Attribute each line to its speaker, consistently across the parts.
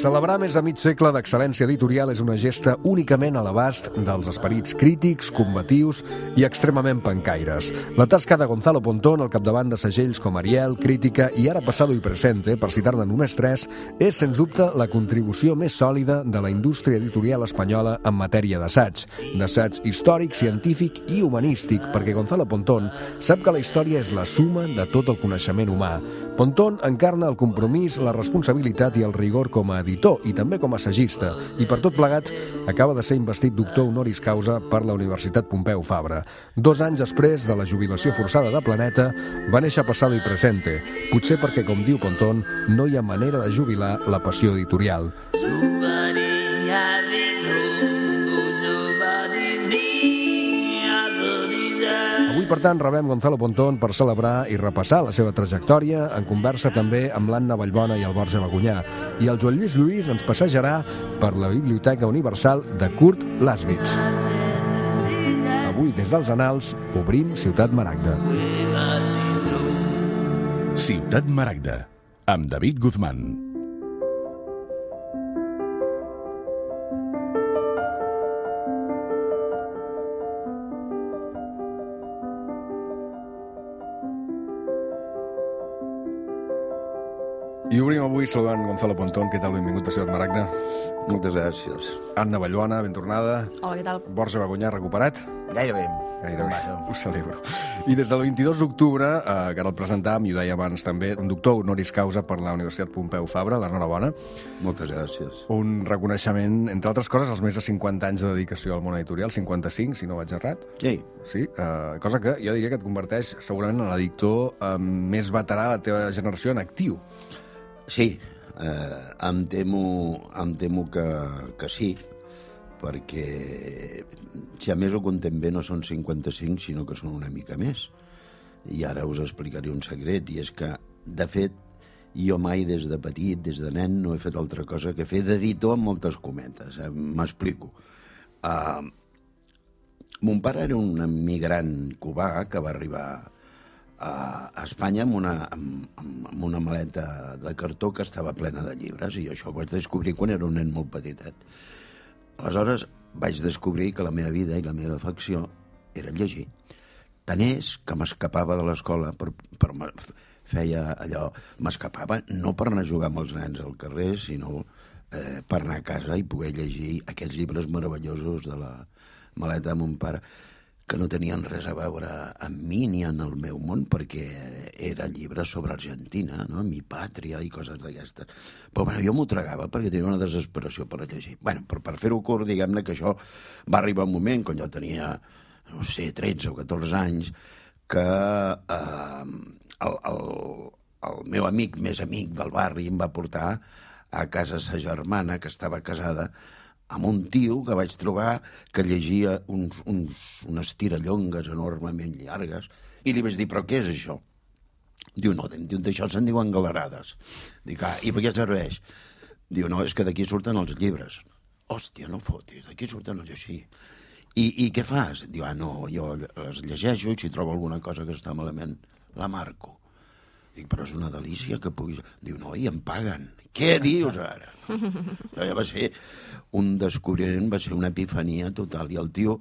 Speaker 1: Celebrar més de mig segle d'excel·lència editorial és una gesta únicament a l'abast dels esperits crítics, combatius i extremament pencaires. La tasca de Gonzalo Pontón al capdavant de segells com Ariel, Crítica i Ara Pasado y Presente, per citar-ne només tres, és, sens dubte, la contribució més sòlida de la indústria editorial espanyola en matèria d'assaig històric, científic i humanístic, perquè Gonzalo Pontón sap que la història és la suma de tot el coneixement humà. Pontón encarna el compromís, la responsabilitat i el rigor com a editor i també com a assagista, i per tot plegat acaba de ser investit doctor honoris causa per la Universitat Pompeu Fabra. 2 anys després de la jubilació forçada de Planeta, va néixer Pasado y Presente, potser perquè, com diu Pontón, no hi ha manera de jubilar la passió editorial. Avui, per tant, rebem Gonzalo Pontón per celebrar i repassar la seva trajectòria, en conversa també amb l'Anna Vallbona i el Borja Bagunyà. I el Joan Lluís Lluís ens passejarà per la Biblioteca Universal de Kurt Laswitz. Avui, des dels Annals, obrim Ciutat Maragda.
Speaker 2: Ciutat Maragda, amb David Guzmán.
Speaker 1: I obrim avui saludant Gonzalo Pontón. Què tal? Benvingut a Ciutat Maragda.
Speaker 3: Moltes gràcies.
Speaker 1: Anna Vallbona, ben tornada.
Speaker 4: Hola, què tal?
Speaker 1: Borja Bagunyà, recuperat?
Speaker 5: Gairebé.
Speaker 1: Ho celebro. I des del 22 d'octubre, que ara el presentàvem, i ho deia abans també, un doctor honoris causa per la Universitat Pompeu Fabra, l'enhorabona.
Speaker 3: Moltes gràcies.
Speaker 1: Un reconeixement, entre altres coses, als més de 50 anys de dedicació al món editorial, 55, si no vaig errat.
Speaker 3: Sí.
Speaker 1: Sí, cosa que jo diria que et converteix segurament en l'editor més veterà de la teva generació en actiu.
Speaker 3: Sí, em temo que sí, perquè si a més ho contem bé no són 55, sinó que són una mica més. I ara us explicaré un secret, i és que, de fet, jo mai des de petit, des de nen, no he fet altra cosa que fer d'editor amb moltes cometes. M'explico. Mon pare era un emigrant cubà que va arribar a Espanya amb una maleta de cartó que estava plena de llibres, i això ho vaig descobrir quan era un nen molt petitet. Aleshores vaig descobrir que la meva vida i la meva afecció era llegir. Tant és que m'escapava de l'escola, feia allò, m'escapava no per anar a jugar amb els nens al carrer, sinó per anar a casa i poder llegir aquests llibres meravellosos de la maleta de mon pare, que no tenien res a veure amb mi ni en el meu món, perquè eren llibres sobre Argentina, no? Mi pàtria i coses d'aquestes. Però bueno, jo m'ho tragava perquè tenia una desesperació per llegir. Bueno, per fer-ho curt, diguem-ne que això va arribar un moment, quan jo tenia, no sé, 13 o 14 anys, que el meu amic més amic del barri em va portar a casa sa germana, que estava casada, amb un tio que vaig trobar que llegia unes tirallongues enormement llargues, i li vaig dir, però què és això? Diu, no, d'això se'n diuen galerades. Dic, i per què serveix? Diu, no, és que d'aquí surten els llibres. Hòstia, no fotis, d'aquí surten els així. I què fas? Diu, no, jo les llegeixo i si trobo alguna cosa que està malament, la marco. Dic, però és una delícia que puguis... Diu, no, i em paguen. Què dius ara? Ja va ser un descobriment, va ser una epifania total. I el tio,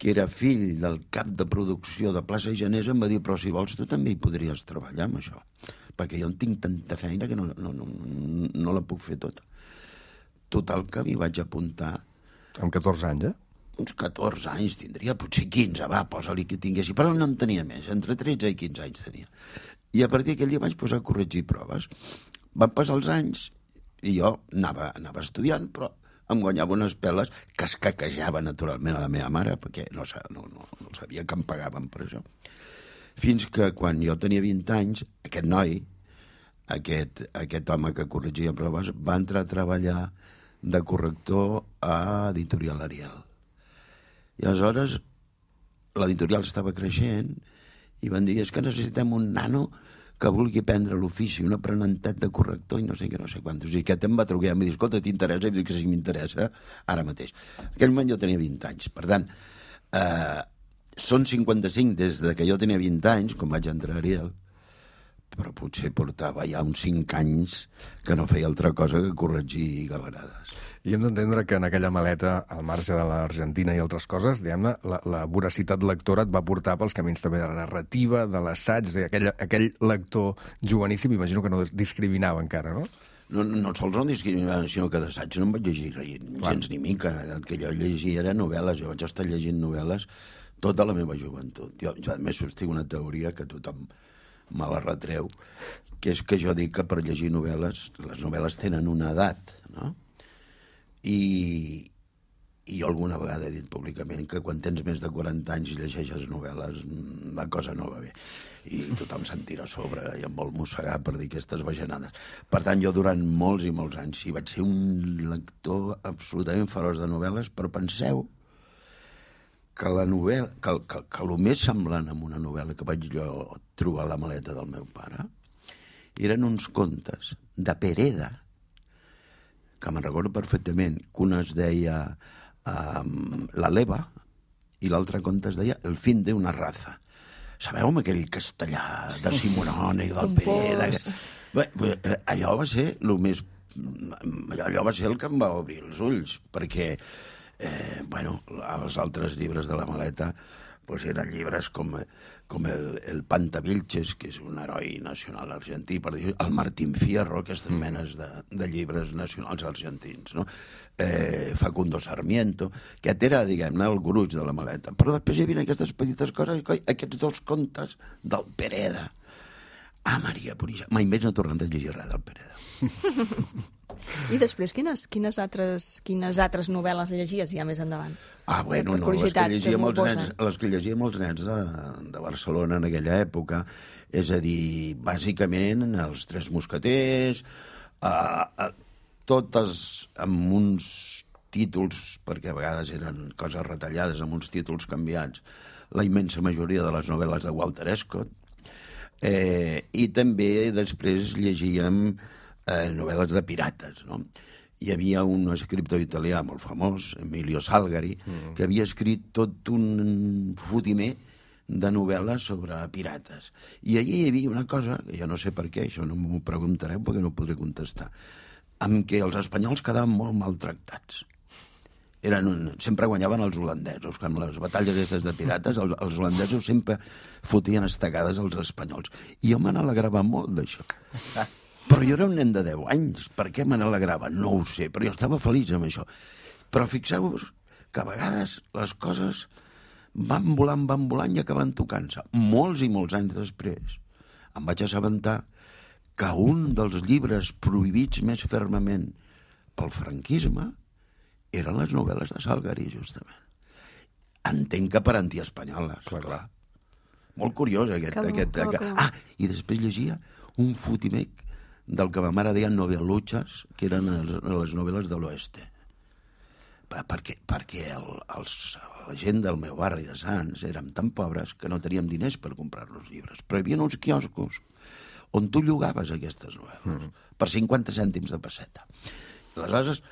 Speaker 3: que era fill del cap de producció de Plaça Genesa, em va dir, però si vols tu també hi podries treballar amb això, perquè jo en tinc tanta feina que no la puc fer tota. Total, que m'hi vaig apuntar.
Speaker 1: Amb 14 anys,
Speaker 3: Uns 14 anys tindria, potser 15, posa-li que tinguessi, però no en tenia més, entre 13 i 15 anys tenia. I a partir d'aquell dia vaig posar a corregir proves. Van passar els anys i jo anava estudiant, però em guanyava unes peles que es caquejava naturalment a la meva mare, perquè no sabia que em pagaven per això. Fins que quan jo tenia 20 anys, aquest noi, aquest home que corregia proves, va entrar a treballar de corrector a Editorial Ariel. I aleshores l'editorial estava creixent i van dir, és que necessitem un nano que vulgui prendre l'ofici, un aprenentat de corrector i no sé què, no sé quantos. I aquest em va trucar i em va dir, escolta, t'interessa? I dic que sí, m'interessa ara mateix. En aquell moment jo tenia 20 anys. Per tant, són 55 des de que jo tenia 20 anys, quan vaig entrar a Ariel, però potser portava ja uns 5 anys que no feia altra cosa que corregir galerades.
Speaker 1: I hem d'entendre que en aquella maleta, al marge de l'Argentina i altres coses, diguem-ne, la voracitat lectora et va portar pels camins també de la narrativa, de l'assaig, aquell lector joveníssim, imagino que no discriminava encara, no?
Speaker 3: No sols no discriminava, sinó que d'assaig no em vaig llegir gens ni mica. El que jo llegia era novel·les. Jo vaig estar llegint novel·les tota la meva joventut. Jo a més sostinc una teoria que tothom me la retreu, que és que jo dic que per llegir novel·les, les novel·les tenen una edat, no? I jo alguna vegada he dit públicament que quan tens més de 40 anys i llegeixes novel·les, la cosa no va bé. I tothom se'n tira a sobre i em vol mossegar per dir aquestes bajanades. Per tant, jo durant molts i molts anys sí vaig ser un lector absolutament feroç de novel·les, però penseu que la novel·la, que el més semblant a una novel·la que vaig jo trobar a la maleta del meu pare eren uns contes de Pereda, que me'n recordo perfectament, que un es deia La Leva i l'altre conte es deia El fin de una raza. Sabeu, amb aquell castellà de Simonone i del Pereda? Allò va ser allò va ser el que em va obrir els ulls, perquè els altres llibres de la maleta eren llibres com el Pantavilches, que és un heroi nacional argentí, per dir, el Martín Fierro, aquestes menes de llibres nacionals argentins, no? Facundo Sarmiento, que era, diguem-ne, el gruix de la maleta. Però després hi havia aquestes petites coses, aquests 2 contes del Pereda. Maria Puríssima. Mai més no he tornat a llegir res del Pereda.
Speaker 4: I després, quines altres novel·les llegies ja més endavant?
Speaker 3: Les que llegíem els nens de Barcelona en aquella època, és a dir, bàsicament els Tres Mosqueters, totes amb uns títols, perquè a vegades eren coses retallades, amb uns títols canviats, la immensa majoria de les novel·les de Walter Scott, i també després llegíem novel·les de pirates, no? Hi havia un escriptor italià molt famós, Emilio Salgari, que havia escrit tot un fotimer de novel·les sobre pirates. I allí hi havia una cosa, que jo no sé per què, això no m'ho preguntareu perquè no podré contestar, amb què els espanyols quedaven molt maltractats. Sempre guanyaven els holandesos. Quan les batalles aquestes de pirates, els holandesos sempre fotien estacades als espanyols. I jo me n'alegrava molt d'això. Però jo era un nen de 10 anys. Per què me n'alegrava? No ho sé, però jo estava feliç amb això. Però fixeu-vos que a vegades les coses van volant i acaben tocant-se. Molts i molts anys després em vaig assabentar que un dels llibres prohibits més fermament pel franquisme eren les novel·les de Salgari, justament. Entenc que per antiespanyoles, clar. Molt curiós, aquest. I després llegia un fotimec del que ma mare deia novel·luches, que eren les novel·les de l'oeste. Perquè la gent del meu barri de Sants érem tan pobres que no teníem diners per comprar-nos llibres. Però hi havia uns quioscos on tu llogaves aquestes novel·les per 50 cèntims de pesseta. Aleshores,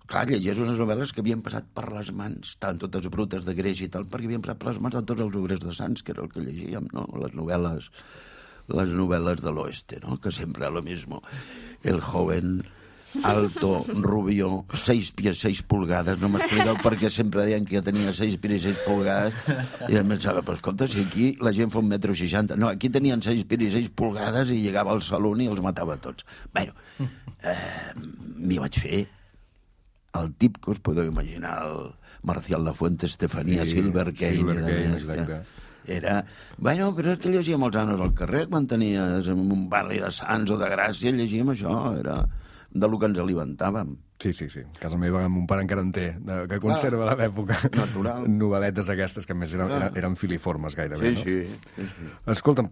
Speaker 3: clar, llegies unes novel·les que havien passat per les mans, estaven totes brutes de greix i tal, perquè havien passat per les mans de tots els obrers de Sants, que era el que llegíem, no? Les novel·les de l'oeste, no? Que sempre lo mismo. El joven, alto, rubio, 6 pies 6 pulgades, no m'expliqueu perquè sempre deien que jo tenia 6 pies 6 pulgades, i em pensava, però escolta, si aquí la gent fa 1,60 m, no, aquí tenien 6 pies 6 pulgades i llegava al saló i els matava tots. Bé, m'hi vaig fer el tip que us podeu imaginar, el Marcial Lafuente, Estefanía, Silver Kane,
Speaker 1: exacte.
Speaker 3: Però és que llegíem els nanos al carrer quan tenies en un barri de Sants o de Gràcia, llegíem això, era de lo que ens alimentàvem.
Speaker 1: Sí. Casa meva, mon pare encara en té, que conserva de l'època.
Speaker 3: Natural.
Speaker 1: Novel·letes aquestes, que a més eren filiformes gairebé, no?
Speaker 3: Sí.
Speaker 1: Escolta'm,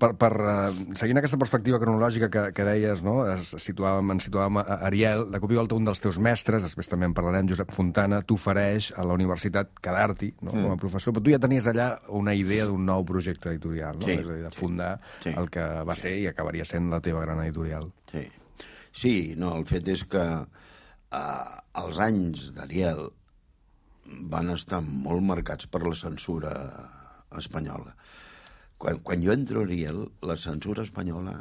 Speaker 1: seguint aquesta perspectiva cronològica que deies, no? Ens situàvem a Ariel, de cop i volta un dels teus mestres, després també en parlarem, Josep Fontana, t'ofereix a la universitat quedar-t'hi, no? Com a professor, però tu ja tenies allà una idea d'un nou projecte editorial, no? És a dir, de fundar el que va ser i acabaria sent la teva gran editorial.
Speaker 3: Sí, no, el fet és que els anys d'Ariel van estar molt marcats per la censura espanyola. Quan jo entro a Ariel, la censura espanyola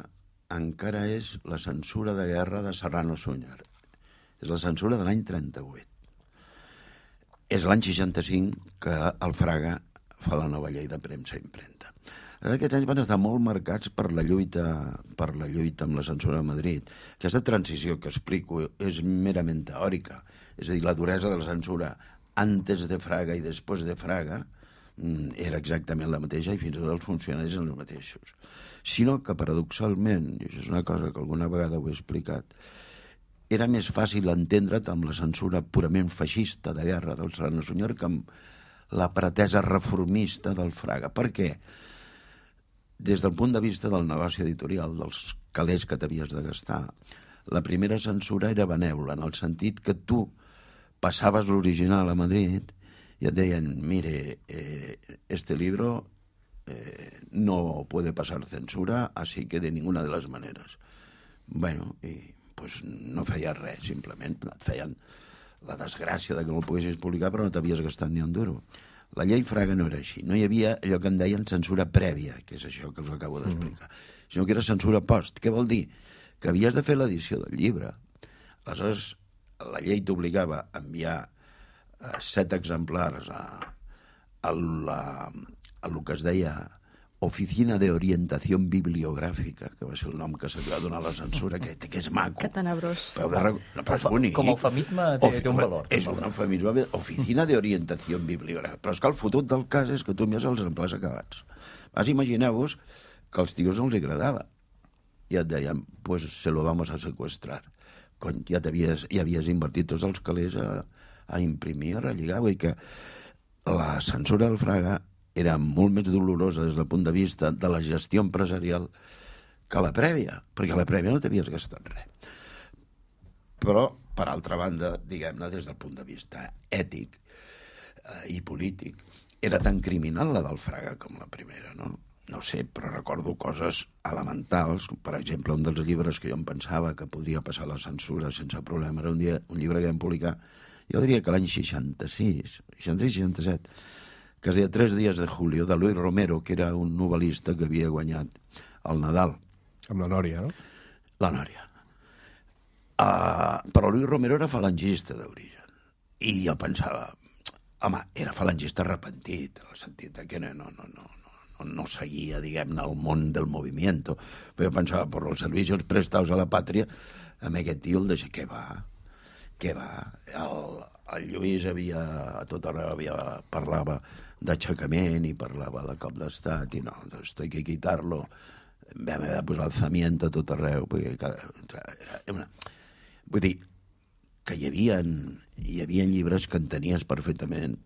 Speaker 3: encara és la censura de guerra de Serrano Suñer. És la censura de l'any 38. És l'any 65 que el Fraga fa la nova llei de premsa i impremta. Aquests anys van estar molt marcats per la lluita amb la censura de Madrid. Aquesta transició que explico és merament teòrica. És a dir, la duresa de la censura antes de Fraga i després de Fraga era exactament la mateixa i fins i tot els funcionaris eren els mateixos. Sinó que, paradoxalment, i això és una cosa que alguna vegada ho he explicat, era més fàcil entendre't amb la censura purament feixista de guerra del Serrano Suñer que amb la pretesa reformista del Fraga. Per què? Des del punt de vista del negoci editorial, dels calés que t'havies de gastar, la primera censura era benèvola, en el sentit que tu passaves l'original a Madrid y te decían, mire, este libro no puede pasar censura, así que de ninguna de las maneras. Bueno, i pues no feia res, simplement et feien la desgràcia de que no el poguessis publicar, però no t'havies gastat ni un duro. La llei Fraga no era així. No hi havia allò que en deien censura prèvia, que és això que us acabo d'explicar, sinó que era censura post. Què vol dir? Que havies de fer l'edició del llibre. Aleshores, la llei t'obligava a enviar 7 exemplars a lo que es deia Oficina de Orientación Bibliográfica, que va ser el nom que se li va donar a la censura, que és maco.
Speaker 4: Que tenebrós.
Speaker 5: Com a eufemisme té un valor.
Speaker 3: És un eufemisme, Oficina de Orientación Bibliográfica. Però és que el fotut del cas és que tu envies els exemplars acabats. Imagineu-vos que als tios no els agradava. I et deien, pues se lo vamos a secuestrar. Cony, ja havies invertit tots els calés a imprimir, a relligar. Vull dir que la censura del Fraga era molt més dolorosa des del punt de vista de la gestió empresarial que la prèvia, perquè la prèvia no t'havies gastat res. Però, per altra banda, diguem-ne, des del punt de vista ètic i polític, era tan criminal la del Fraga com la primera, no? No sé, però recordo coses elementals, com per exemple un dels llibres que jo em pensava que podria passar la censura sense problema, era un llibre que vam publicar, jo diria que l'any 66-67, que es deia 3 días de julio, de Luis Romero, que era un novel·lista que havia guanyat el Nadal.
Speaker 1: Amb la Nòria, no?
Speaker 3: La Nòria. Però Luis Romero era falangista d'origen. I jo pensava, home, era falangista arrepentit, en el sentit que no seguia, diguem-ne, el món del movimiento. Però jo pensava, per els servicios prestados a la pàtria, amb aquest tio el deixa, què va? El Lluís a tot arreu parlava d'aixecament i parlava de cop d'estat i no, esto hay que quitarlo. Vam haver de posar alzamiento a tot arreu. Vull dir que hi havia llibres que entenies perfectament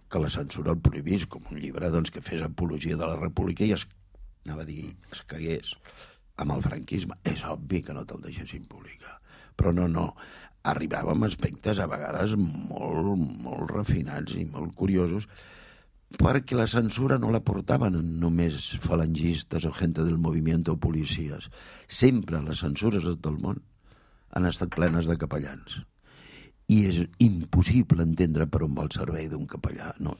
Speaker 3: que la censura el prohibís, com un llibre que fes apologia de la república i es cagués amb el franquisme. És obvi que no te'l deixessin publicar. Però no. Arribàvem a aspectes a vegades molt refinats i molt curiosos perquè la censura no la portaven només falangistes o gent del moviment o policies. Sempre les censures de tot el món han estat plenes de capellans. I és impossible entendre per on va el servei d'un capellà. No,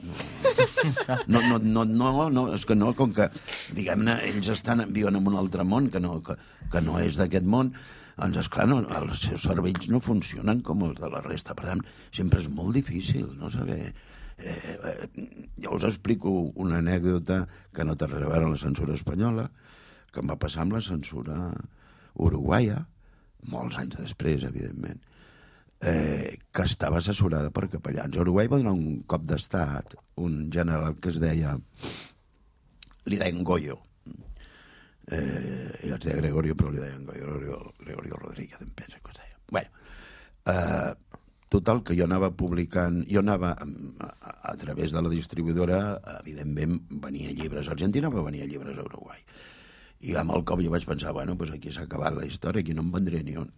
Speaker 3: és que no, com que, diguem-ne, ells viuen en un altre món que no és d'aquest món, doncs, esclar, els seus cervells no funcionen com els de la resta. Per tant, sempre és molt difícil no saber. Jo us explico una anècdota que no té res a veure amb la censura espanyola, que em va passar amb la censura uruguaia, molts anys després, evidentment, que estava assessorada per capellans. A Uruguai va donar un cop d'estat, un general que es deia, li deien Goyo, i els deia Gregorio, però li deien Gregorio Rodríguez, em pensa que es deia. Bueno, total, que jo anava publicant, a través de la distribuïdora, evidentment venia llibres a Argentina, però venia llibres a Uruguai. I amb el cop jo vaig pensar, bueno, pues aquí s'ha acabat la història, aquí no en vendré ni un.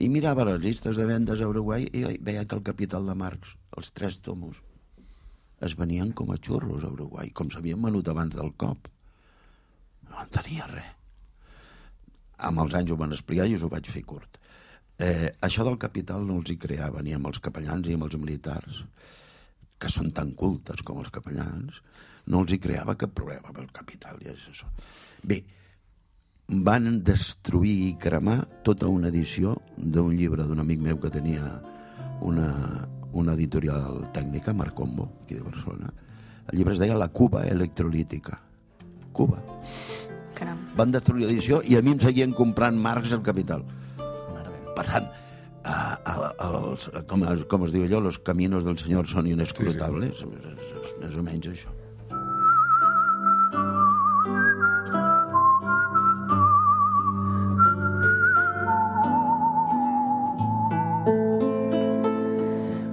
Speaker 3: I mirava les llistes de vendes a Uruguai i veia que el Capital de Marx, els 3 tomos, es venien com a xurros a Uruguai, com s'havien venut abans del cop. No en tenia res. Amb els anys ho van explicar i us ho vaig fer curt. Això del Capital no els hi creava ni amb els capellans ni amb els militars, que són tan cultes com els capellans, no els hi creava cap problema amb el Capital i és això. Bé, van destruir i cremar tota una edició d'un llibre d'un amic meu que tenia una editorial tècnica, Marcombo, aquí de Barcelona. El llibre es deia La Cuba electrolítica. Cuba.
Speaker 4: Caram.
Speaker 3: Van destruir l'edició i a mi em seguien comprant Marx El Capital. Per tant, com es diu allò, los caminos del senyor són inescrutables. Sí. És més o menys això.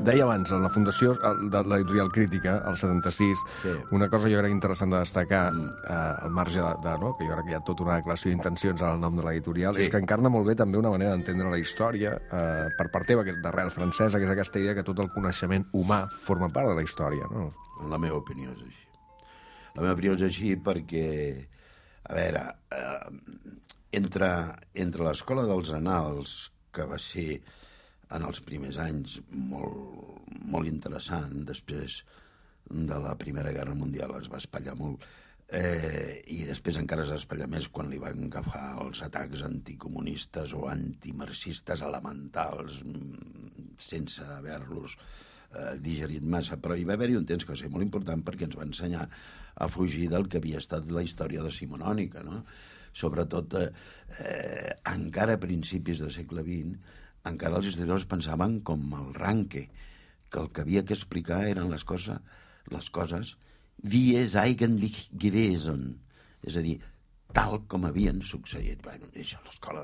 Speaker 1: Deia abans, en la fundació de l'editorial Crítica, el 76, sí. Una cosa jo crec interessant de destacar, al marge no? Que jo crec que hi ha tota una declaració d'intencions al nom de l'editorial, sí. És que encarna molt bé també una manera d'entendre la història, per part teva, que és d'arrel francesa, que és aquesta idea que tot el coneixement humà forma part de la història, no?
Speaker 3: La meva opinió és així. La meva opinió és així perquè, a veure, entre l'escola dels Annals, que va ser en els primers anys molt interessant, després de la Primera Guerra Mundial es va espatllar molt, i després encara es va espatllar més quan li van agafar els atacs anticomunistes o antimarxistes elementals sense haver-los digerit massa, però hi va haver-hi un temps que va ser molt important perquè ens va ensenyar a fugir del que havia estat la història decimonònica, no? Sobretot encara a principis del segle XX encara els historiadors pensaven com el Ranke, que el que havia que explicar eren les coses wie es eigentlich gewesen, és a dir, tal com havien succeït. Bueno, això, l'escola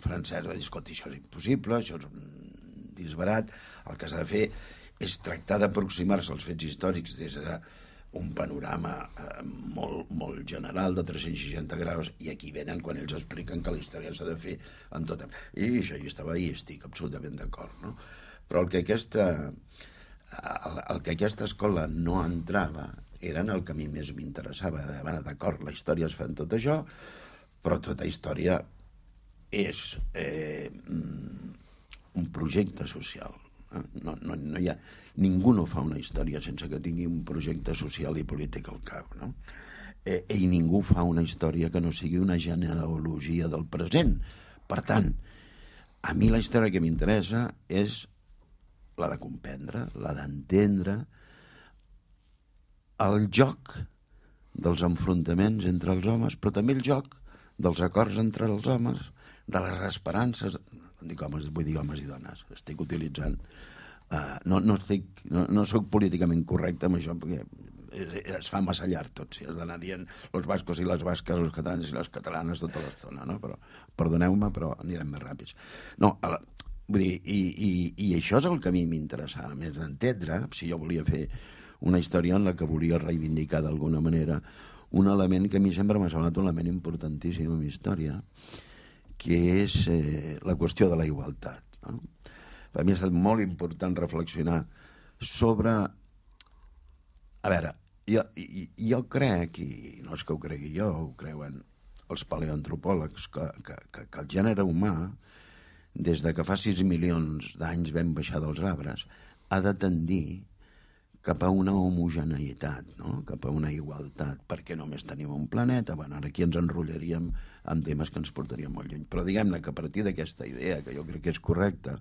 Speaker 3: francesa va dir, escolta, això és impossible, això és un disbarat, el que s'ha de fer és tractar d'aproximar-se als fets històrics des d'un panorama molt general de 360 graus, i aquí venen quan ells expliquen que la història s'ha de fer amb tot. I això jo estava ahí, estic absolutament d'acord, no? Però el que aquesta escola no entrava era en el que a mi més m'interessava. Bueno, d'acord, la història es fa en tot això, però tota història és un projecte social. No hi ha... Ningú no fa una història sense que tingui un projecte social i polític al cap, no? I ningú fa una història que no sigui una genealogia del present. Per tant, a mi la història que m'interessa és la de comprendre, la d'entendre el joc dels enfrontaments entre els homes, però també el joc dels acords entre els homes, de les esperances... vull dir homes i dones. Estic utilitzant... No soc políticament correcte amb això, perquè es fa massa llarg tot, si has d'anar dient els bascos i les basques, els catalans i les catalanes tota l'estona, no? Però perdoneu-me, però anirem més ràpids. No, vull dir, i això és el que a mi m'interessava més d'entendre, si jo volia fer una història en la que volia reivindicar d'alguna manera un element que a mi sempre m'ha semblat un element importantíssim en la història, que és la qüestió de la igualtat, no? Per mi ha estat molt important reflexionar sobre... A veure, jo crec, i no és que ho cregui jo, ho creuen els paleoantropòlegs, que el gènere humà, des de que fa 6 milions d'anys vam baixar dels arbres, ha de tendir cap a una homogeneïtat, no? Cap a una igualtat, perquè només tenim un planeta. Bueno, ara aquí ens enrotllaríem amb temes que ens portarien molt lluny. Però diguem-ne que a partir d'aquesta idea, que jo crec que és correcta,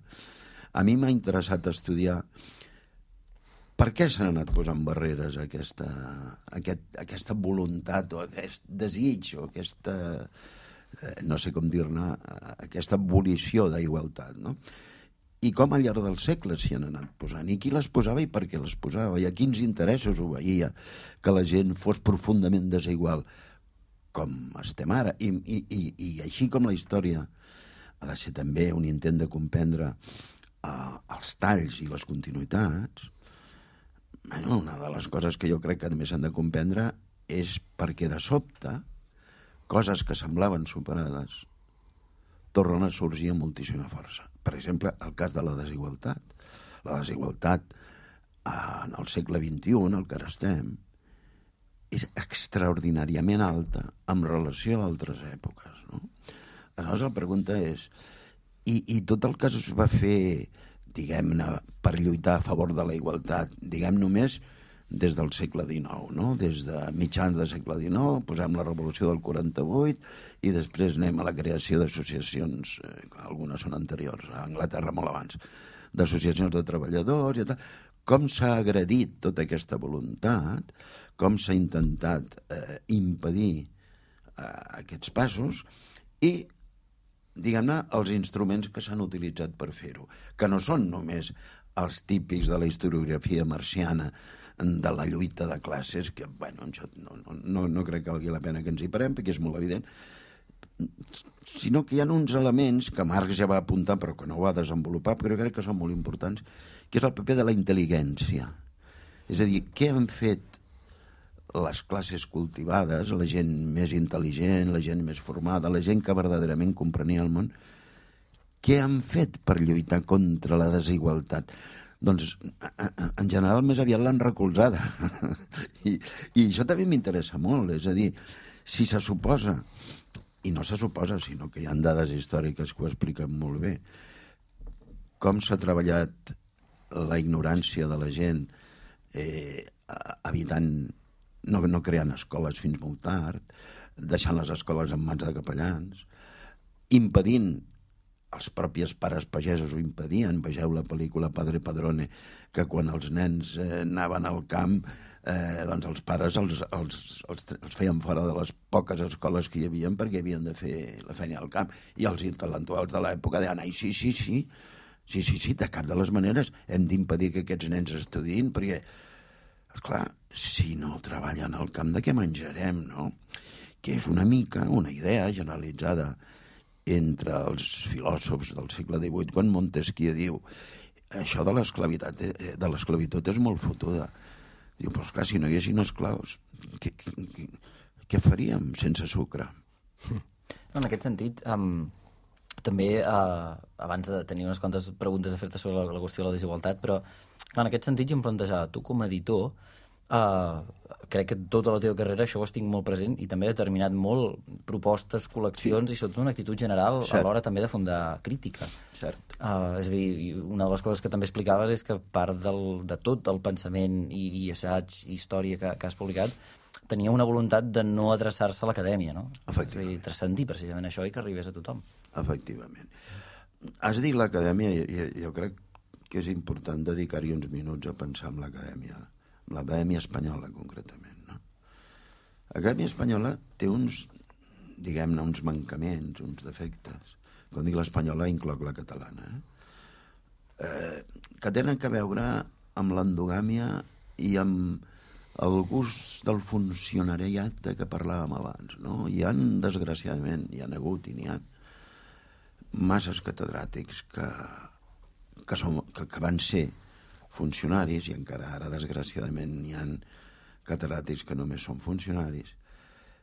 Speaker 3: a mi m'ha interessat estudiar per què s'han anat posant barreres a aquesta voluntat o aquest desig o aquesta, no sé com dir-ne, aquesta volició d'igualtat, no? I com al llarg dels segles s'hi han anat posant, i qui les posava i per què les posava, i a quins interessos ho veia que la gent fos profundament desigual, com estem ara. I així com la història ha de ser també un intent de comprendre els talls i les continuïtats, una de les coses que jo crec que també s'han de comprendre és perquè de sobte coses que semblaven superades tornen a sorgir amb moltíssima força. Per exemple, el cas de la desigualtat. La desigualtat en el segle XXI, en el que ara estem, és extraordinàriament alta en relació a altres èpoques, no? Aleshores, la pregunta és, i tot el que es va fer, diguem-ne, per lluitar a favor de la igualtat, diguem només des del segle XIX, no? Des de mitjans del segle XIX, posem la revolució del 48 i després anem a la creació d'associacions, algunes són anteriors, a Anglaterra molt abans, d'associacions de treballadors i tal. Com s'ha agredit tota aquesta voluntat, com s'ha intentat impedir aquests passos i, diguem-ne, els instruments que s'han utilitzat per fer-ho, que no són només els típics de la historiografia marciana de la lluita de classes, que, bueno, no crec que valgui la pena que ens hi parem, perquè és molt evident, sinó que hi ha uns elements que Marx ja va apuntar, però que no va desenvolupar, però crec que són molt importants, que és el paper de la intel·ligència. És a dir, què han fet les classes cultivades, la gent més intel·ligent, la gent més formada, la gent que verdaderament comprenia el món, què han fet per lluitar contra la desigualtat? Doncs, en general, més aviat l'han recolzada. I això també m'interessa molt. És a dir, si se suposa, i no se suposa, sinó que hi ha dades històriques que ho expliquen molt bé, com s'ha treballat la ignorància de la gent evitant, no creant escoles fins molt tard, deixant les escoles en mans de capellans, impedint, els propis pares pagesos ho impedien, vegeu la pel·lícula Padre Padrone, que quan els nens anaven al camp, doncs els pares els feien fora de les poques escoles que hi havia perquè havien de fer la feina al camp, i els intel·lectuals de l'època deien, ai, sí, de cap de les maneres hem d'impedir que aquests nens estudiïn, perquè, esclar, si no treballen al camp, de què menjarem, no? Que és una mica una idea generalitzada entre els filòsofs del segle XVIII, quan Montesquieu diu això de l'esclavitud és molt fotuda. Diu, però esclar, si no hi haguessin esclaus, què faríem sense sucre?
Speaker 5: No, en aquest sentit, també, abans de tenir unes quantes preguntes a fer-te sobre la qüestió de la desigualtat, però clar, en aquest sentit jo em plantejava, tu com a editor, crec que tota la teva carrera això ho estic molt present i també he determinat molt propostes, col·leccions, i sobretot una actitud general a l'hora també de fundar crítica.
Speaker 3: Cert.
Speaker 5: És a dir, una de les coses que també explicaves és que part de tot el pensament i assaig i història que has publicat tenia una voluntat de no adreçar-se a l'acadèmia, no? És a dir, transcendir precisament això i que arribés a tothom.
Speaker 3: Efectivament. Has dit l'acadèmia, jo crec que és important dedicar-hi uns minuts a pensar en l'acadèmia espanyola, concretament, no? L'acadèmia espanyola té uns, diguem-ne, uns mancaments, uns defectes. Quan dic l'espanyola, incloc la catalana, que tenen a veure amb l'endogàmia i amb el gust del funcionariat de què parlàvem abans, no? Hi ha, desgraciadament, hi ha hagut i n'hi ha masses catedràtics que van ser funcionaris, i encara ara, desgraciadament, hi ha catedràtics que només són funcionaris,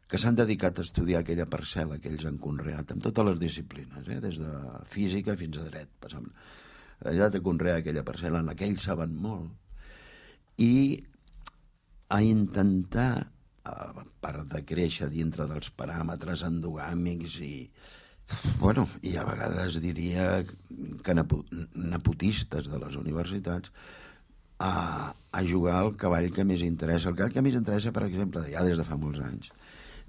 Speaker 3: que s'han dedicat a estudiar aquella parcel·la que ells han conreat, amb totes les disciplines, des de física fins a dret, passant. Allà de conrear aquella parcel·la en la que ells saben molt, i a intentar, a part de créixer dintre dels paràmetres endogàmics i a vegades diria que nepotistes de les universitats, a jugar al cavall que més interessa. El cavall que més interessa, per exemple, ja des de fa molts anys,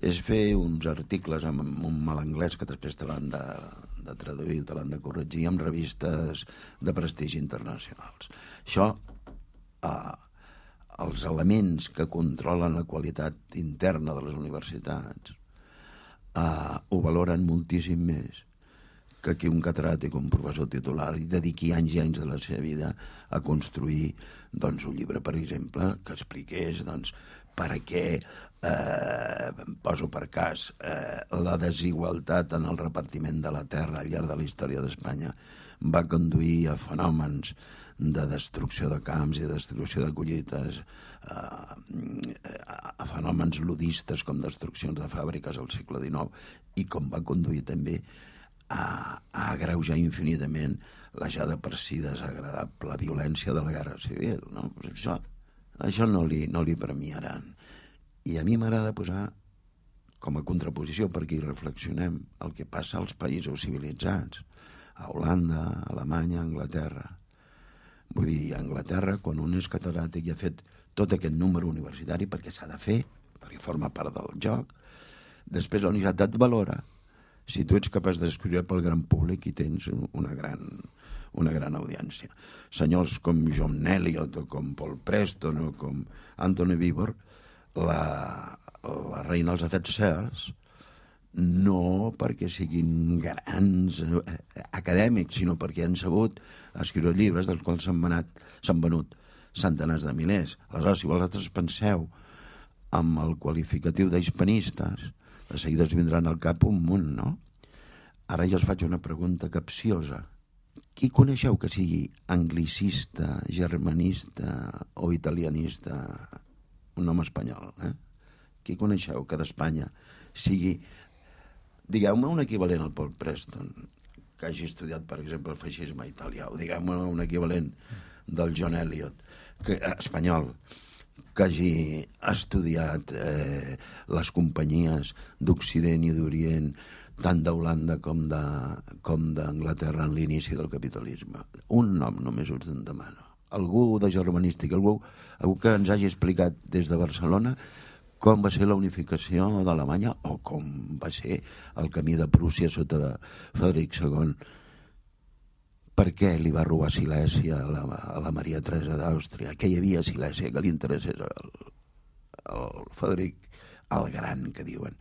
Speaker 3: és fer uns articles amb un mal anglès que després te l'han de traduir, te l'han de corregir amb revistes de prestigi internacionals. Això, els elements que controlen la qualitat interna de les universitats ho valoren moltíssim més que aquí un catedràtic o un professor titular i dediqui anys i anys de la seva vida a construir un llibre, per exemple, que expliqués per què, poso per cas, la desigualtat en el repartiment de la terra al llarg de la història d'Espanya va conduir a fenòmens de destrucció de camps i de destrucció de collites, a fenòmens ludistes com destruccions de fàbriques al segle XIX, i com va conduir també a agreujar infinitament la ja de per si desagradable violència de la guerra civil, no? Això no li premiaran. I a mi m'agrada posar com a contraposició, perquè hi reflexionem, el que passa als països civilitzats, a Holanda, a Alemanya, a Anglaterra. Vull dir, a Anglaterra, quan un és catedràtic i ha fet tot aquest número universitari, perquè s'ha de fer, perquè forma part del joc, després la universitat et valora si tu ets capaç d'escriure pel gran públic i tens una gran audiència. Senyors com John Eliot o com Paul Preston o com Anthony Beevor, la reina dels Afers no perquè siguin grans acadèmics, sinó perquè han sabut escriure llibres dels quals s'han venut centenars de milers. Aleshores, si vosaltres penseu amb el qualificatiu d'hispanistes, de seguida es vindran al cap un munt, no? Ara jo us faig una pregunta capciosa. Qui coneixeu que sigui anglicista, germanista o italianista? Un home espanyol, eh? Qui coneixeu que d'Espanya sigui... Digueu-me un equivalent al Paul Preston, que hagi estudiat, per exemple, el feixisme italià, o digueu-me un equivalent del John Eliot, espanyol, que hagi estudiat les companyies d'Occident i d'Orient, tant d'Holanda com d'Anglaterra en l'inici del capitalisme. Un nom només us en demano. Algú de germanístic, algú que ens hagi explicat des de Barcelona com va ser la unificació d'Alemanya o com va ser el camí de Prússia sota Frederic II. Per què li va robar Silèsia a la Maria Teresa d'Àustria? Què hi havia a Silèsia que li interessés al Frederic el Gran, que diuen?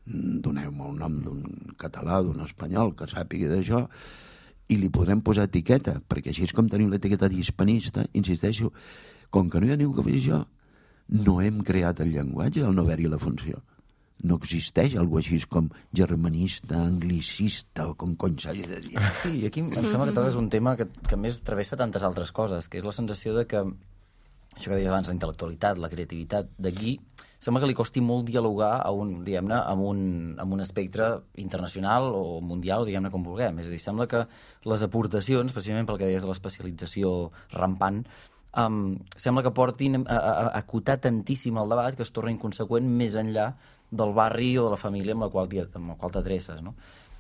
Speaker 3: Doneu-me el nom d'un català, d'un espanyol que sàpigui d'això i li podrem posar etiqueta, perquè així és com tenim l'etiqueta d'hispanista. Insisteixo, com que no hi ha ningú que faci això, no hem creat el llenguatge al no haver-hi la funció. No existeix algú així com germanista, anglicista o com cony s'hagi de dir.
Speaker 5: Sí, i aquí em sembla que toques un tema que més travessa tantes altres coses, que és la sensació de que, això que deies abans, la intel·lectualitat, la creativitat, d'aquí sembla que li costi molt dialogar diguem-ne, amb un espectre internacional o mundial, o diguem-ne com vulguem. És a dir, sembla que les aportacions, precisament pel que deies de l'especialització rampant, sembla que portin a acotar tantíssim el debat que es torna inconseqüent més enllà del barri o de la família amb la qual t'adreces, no?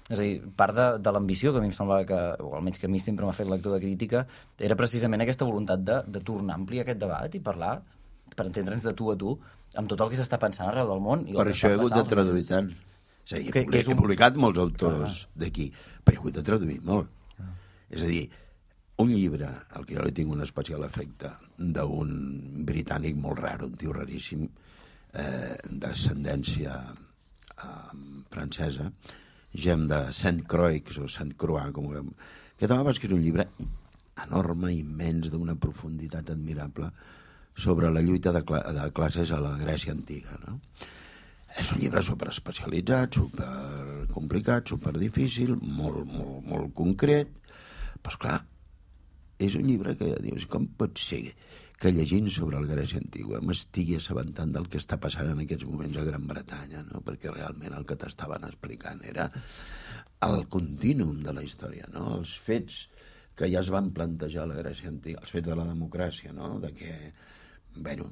Speaker 5: És a dir, part de l'ambició que a mi em semblava que, o almenys que a mi sempre m'ha fet lectura crítica, era precisament aquesta voluntat de tornar a ampliar aquest debat i parlar, per entendre'ns de tu a tu, amb tot el que s'està pensant arreu del món.
Speaker 3: Per això he hagut de traduir tant. És a dir, he publicat molts autors d'aquí, però he hagut de traduir molt. És a dir, un llibre, al que jo li tinc un especial afecte, d'un britànic molt rar, un tio raríssim, d'ascendència francesa, Gem de Saint-Croix o Saint-Croix, que també va escriure un llibre enorme, immens, d'una profunditat admirable, sobre la lluita de classes a la Grècia antiga, no? És un llibre superespecialitzat, supercomplicat, superdifícil, molt concret, però esclar, és un llibre que dius, com pot ser que llegint sobre la Grècia antiga m'estigui assabentant del que està passant en aquests moments a Gran Bretanya, no? Perquè realment el que t'estaven explicant era el contínuum de la història, no? Els fets que ja es van plantejar a la Grècia antiga, els fets de la democràcia, no? De que, bueno,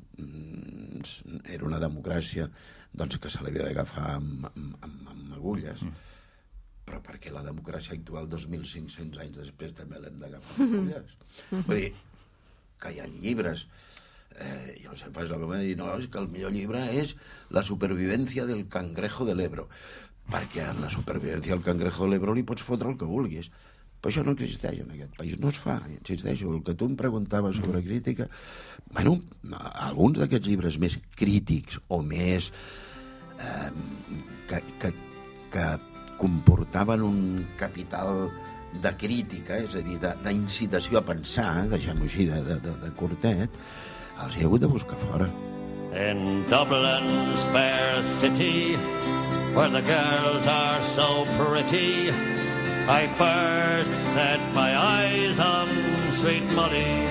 Speaker 3: era una democràcia doncs, que se l'havia d'agafar amb agulles, però perquè la democràcia actual 2.500 anys després també l'hem d'agafar amb agulles. Vull dir, que hi ha llibres, jo sempre faig la broma de dir, no, és que el millor llibre és La supervivència del cangrejo de l'Ebro, perquè en la supervivència del cangrejo de l'Ebro li pots fotre el que vulguis. Però això no existeix en aquest país, no es fa, insisteixo. El que tu em preguntaves sobre crítica, bueno, alguns d'aquests llibres més crítics o més que comportaven un capital de crítica, és a dir, d'incitació a pensar, deixem-ho així de curtet, els he hagut de buscar fora.
Speaker 6: In Dublin's fair city, where the girls are so pretty, I first set my eyes on sweet Molly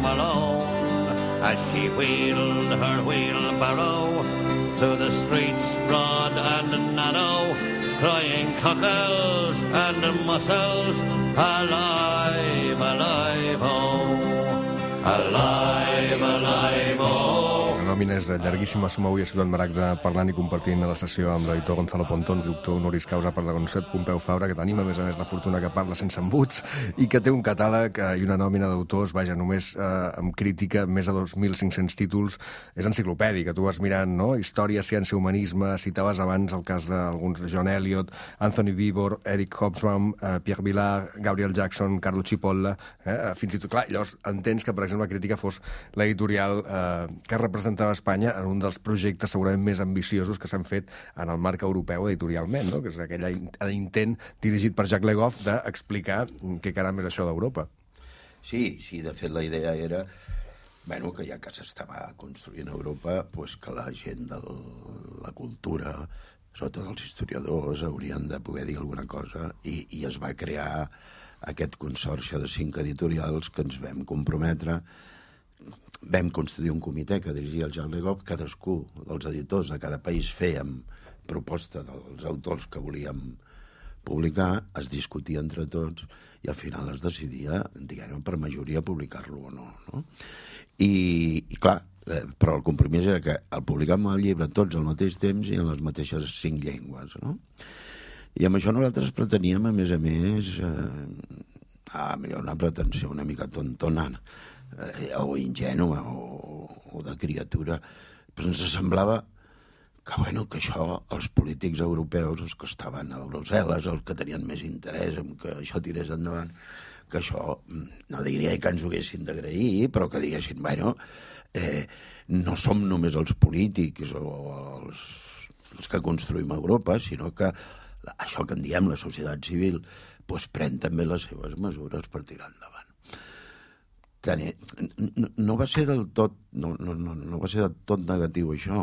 Speaker 6: Malone as she wheeled her wheelbarrow through the streets broad and narrow, crying cockles and mussels, alive, alive, oh, alive, alive, oh.
Speaker 1: En el nòmina és llarguíssima. Som avui a Ciutat Maragda parlant i compartint la sessió amb l'editor Gonzalo Pontón, doctor honoris causa per la Universitat Pompeu Fabra, que tenim, a més, la fortuna que parla sense embuts i que té un catàleg i una nòmina d'autors, vaja, només amb crítica, més de 2.500 títols. És enciclopèdica, tu vas mirant, no? Història, ciència, humanisme, citaves abans el cas d'alguns, John Eliot, Anthony Beevor, Eric Hobsbawm, Pierre Vilar, Gabriel Jackson, Carlo Cipolla, fins i tot, clar, llavors entens que, per exemple, la crítica fos l'editorial que representava Espanya en un dels projectes segurament més ambiciosos que s'han fet en el marc europeu editorialment, no? Que és aquell intent dirigit per Jacques Le Goff d'explicar què caram és això d'Europa.
Speaker 3: Sí, de fet la idea era que ja que s'estava construint a Europa, que la gent de la cultura, sobretot els historiadors, haurien de poder dir alguna cosa i es va crear aquest consorci de 5 editorials que ens vam comprometre. Vam constituir un comitè que dirigia el Jacques Le Goff. Cadascú dels editors de cada país fèiem proposta dels autors que volíem publicar, es discutia entre tots i al final es decidia, diguem, per majoria publicar-lo o no, no? I clar, però el compromís era que el publicàvem el llibre tots al mateix temps i en les mateixes 5 llengües, no? I amb això nosaltres preteníem, a més, millor una pretensió una mica tontonana, o ingènua o de criatura, però ens semblava que això els polítics europeus, els que estaven a Brussel·les, els que tenien més interès en que això tirés endavant, que això, no diria que ens ho haguessin d'agrair, però que diguessin, no som només els polítics o els que construïm Europa, sinó que això que en diem la societat civil pren també les seves mesures per tirar endavant. No va ser del tot negatiu això,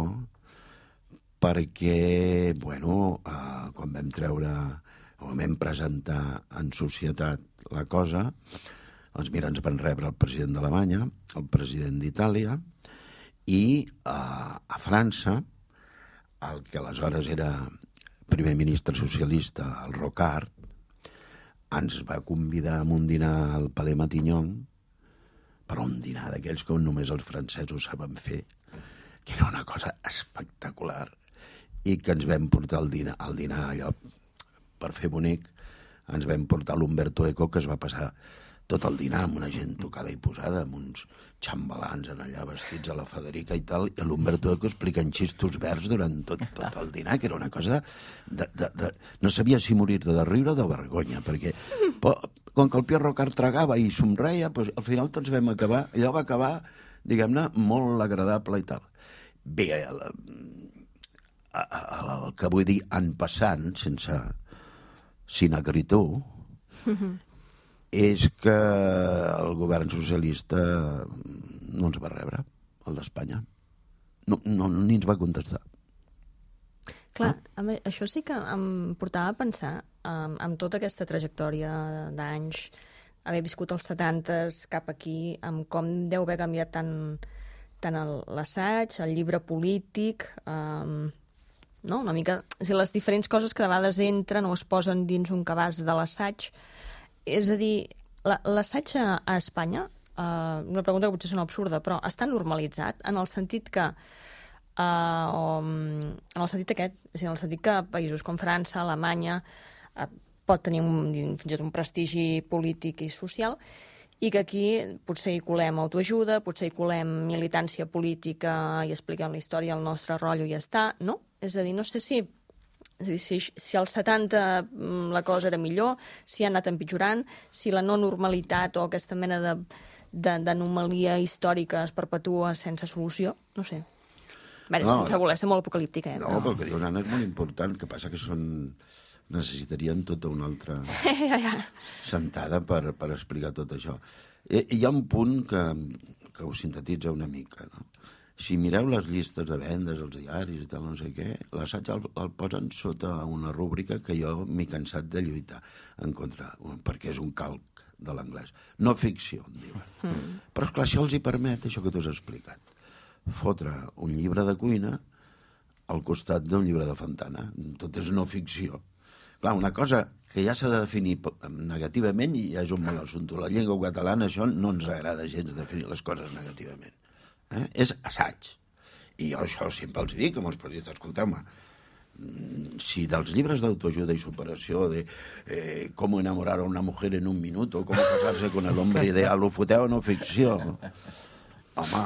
Speaker 3: perquè quan vam treure o vam presentar en societat la cosa, doncs mira, ens van rebre el president d'Alemanya, el president d'Itàlia, i a França, el que aleshores era primer ministre socialista, el Rocard, ens va convidar a un dinar al Palais Matignon, però un dinar d'aquells que només els francesos saben fer, que era una cosa espectacular, i que ens vam portar al dinar allò, per fer bonic, ens vam portar l'Umberto Eco, que es va passar tot el dinar amb una gent tocada i posada, amb uns xambalans en allà vestits a la Federica i tal, i l'Umberto Eco explicant xistos verds durant tot el dinar, que era una cosa no sabia si morir de riure o de vergonya, perquè com que el Pierre Rocard tragava i somreia, al final tots vam acabar, allò va acabar, diguem-ne, molt agradable i tal. Bé, el que vull dir en passant, sense sinagritud, és que el govern socialista no ens va rebre, el d'Espanya. Ni ens va contestar.
Speaker 4: Clar, això sí que em portava a pensar, amb tota aquesta trajectòria d'anys, haver viscut els 70s cap aquí, amb com deu haver canviat tant l'assaig, el llibre polític, no? Una mica, les diferents coses que de vegades entren o es posen dins un cabàs de l'assaig. És a dir, l'assaig a Espanya, una pregunta que potser sona absurda, però està normalitzat en el sentit que en el sentit aquest, és a dir, en el sentit que països com França, Alemanya, pot tenir fins i tot un prestigi polític i social, i que aquí potser hi colem autoajuda, potser hi colem militància política i expliquem la història, el nostre rotllo i ja està, no? És a dir, no sé si als 70 la cosa era millor, si ha anat empitjorant, si la no normalitat o aquesta mena d'anomalia històrica es perpetua sense solució, no sé. Sense voler ser molt apocalíptica.
Speaker 3: No, però el que diu l'Anna és molt important, que passa que necessitarien tota una altra sentada per explicar tot això. Hi ha un punt que ho sintetitza una mica, no? Si mireu les llistes de vendes, els diaris i tal, no sé què, l'assaig el posen sota una rúbrica que jo m'he cansat de lluitar en contra, perquè és un calc de l'anglès. No ficció, en diuen. Però, esclar, això els hi permet, això que tu has explicat, fotre un llibre de cuina al costat d'un llibre de Fontana. Tot és no ficció. Clar, una cosa que ja s'ha de definir negativament i ja és un mal assumpte. La llengua catalana, això no ens agrada gens definir les coses negativament. És assaig. I jo això sempre els dic amb els periodistes, escolteu-me, si dels llibres d'autoajuda i superació de com enamorar a una mujer en un minut o com casar-se con el hombre ideal, ho foteu en no ficció. Home,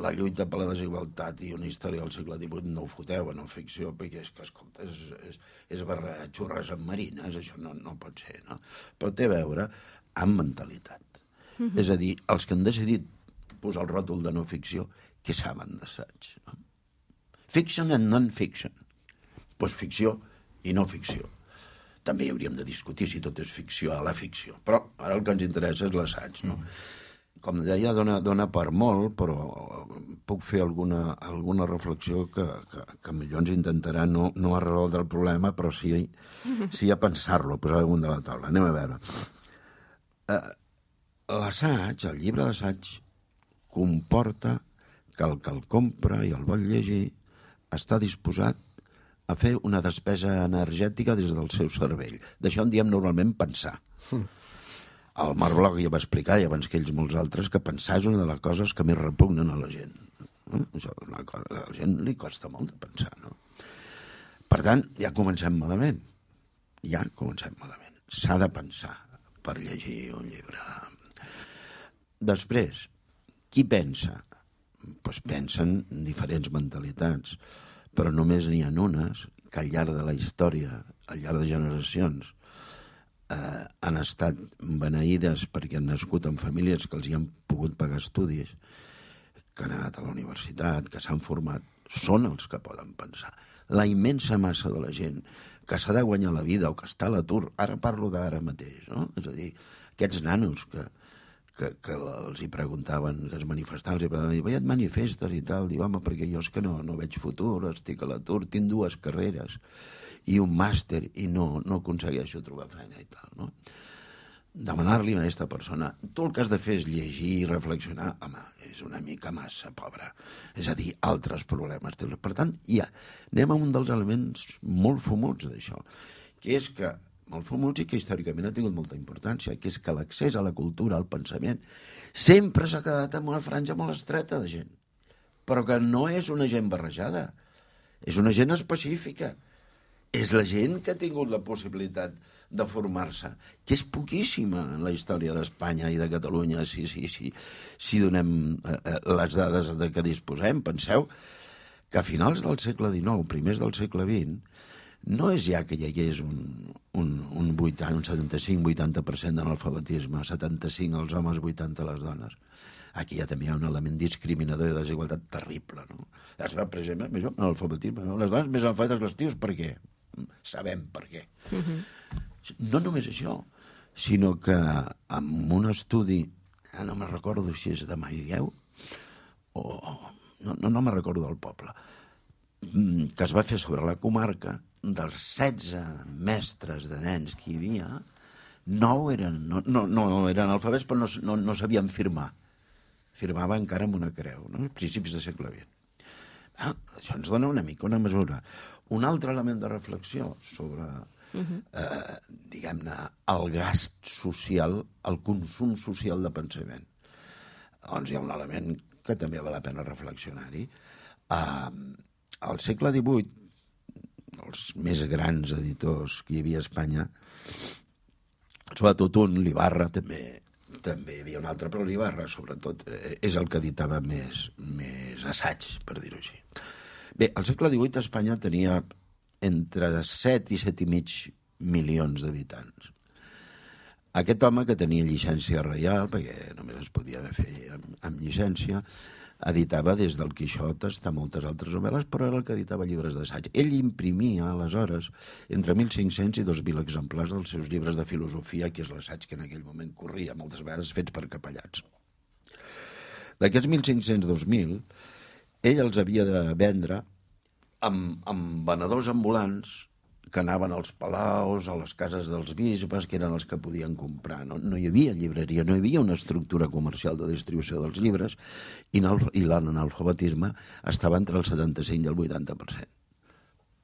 Speaker 3: la lluita per la desigualtat i una història del segle XVIII no ho foteu en no ficció, perquè és que, escolta, és barrejar xurres amb marines, això no pot ser, no? Però té a veure amb mentalitat. És a dir, els que han decidit posar el ròtol de no ficció, què saben d'assaig? No? Fiction and non-fiction. Doncs ficció i no ficció. També hi hauríem de discutir si tot és ficció a la ficció. Però ara el que ens interessa és l'assaig, no? Com deia, dona per molt, però puc fer alguna reflexió que millor ens intentarà no a resoldre el problema, però sí a pensar-lo, a posar damunt de la taula. Anem a veure. L'assaig, el llibre d'assaig, comporta que el compra i el vol llegir està disposat a fer una despesa energètica des del seu cervell. D'això en diem normalment pensar. El Marc Bloch ja va explicar, i abans que ells molts altres, que pensar és una de les coses que més repugnen a la gent. Això és una cosa, a la gent li costa molt de pensar, no? Per tant, ja comencem malament. S'ha de pensar per llegir un llibre. Després, qui pensa? Doncs pensen diferents mentalitats, però només n'hi ha unes que al llarg de la història, al llarg de generacions, han estat beneïdes perquè han nascut en famílies que els hi han pogut pagar estudis, que han anat a la universitat, que s'han format, són els que poden pensar. La immensa massa de la gent que s'ha de guanyar la vida o que està a l'atur, ara parlo d'ara mateix, no? És a dir, aquests nanos que els hi preguntaven, que es manifestaven, els hi preguntaven, et manifestes i tal, diu, home, perquè jo és que no veig futur, estic a l'atur, tinc 2 carreres i un màster i no aconsegueixo trobar feina i tal, no? Demanar-li a aquesta persona, tu el que has de fer és llegir i reflexionar, home, és una mica massa pobra. És a dir, altres problemes. Per tant, anem a un dels elements molt fumuts d'això, que és que molt fumuts i que històricament ha tingut molta importància, que és que l'accés a la cultura, al pensament, sempre s'ha quedat en una franja molt estreta de gent, però que no és una gent barrejada, és una gent específica. És la gent que ha tingut la possibilitat de formar-se, que és poquíssima en la història d'Espanya i de Catalunya, si donem les dades de què disposem. Penseu que a finals del segle XIX, primers del segle XX, no és ja que hi hagués un 75-80% d'analfabetisme, 75 els homes, 80 les dones. Aquí ja també hi ha un element discriminador i de desigualtat terrible, no? Es va precisament amb això, l'analfabetisme, no? Les dones més analfabetes que els tios, per què? Sabem per què. No només això, sinó que amb un estudi, no me'n recordo si és de Manlleu, o no me'n recordo del poble, que es va fer sobre la comarca, dels 16 mestres de nens que hi havia, 9 eren alfabets, però no sabien firmar. Firmava encara amb una creu, no? Principis del segle XX. Això ens dona una mica una mesura. Un altre element de reflexió sobre, diguem-ne, el gast social, el consum social de pensament. Doncs hi ha un element que també val la pena reflexionar-hi. Al segle XVIII, els més grans editors que hi havia a Espanya, sobretot un, l'Ibarra, també hi havia un altre, però l'Ibarra, sobretot, és el que editava més assaig, per dir-ho així. Bé, al segle XVIII Espanya tenia entre 7 i 7,5 milions d'habitants. Aquest home, que tenia llicència reial, perquè només es podia fer amb llicència, editava des del Quixot fins a moltes altres novel·les, però era el que editava llibres d'assaig. Ell imprimia, aleshores, entre 1.500 i 2.000 exemplars dels seus llibres de filosofia, que és l'assaig que en aquell moment corria, moltes vegades fets per capellans. D'aquests 1.500, 2.000, ell els havia de vendre amb venedors ambulants que anaven als palaus, a les cases dels bisbes, que eren els que podien comprar. No hi havia llibreria, no hi havia una estructura comercial de distribució dels llibres, i l'analfabetisme estava entre el 75 i el 80%.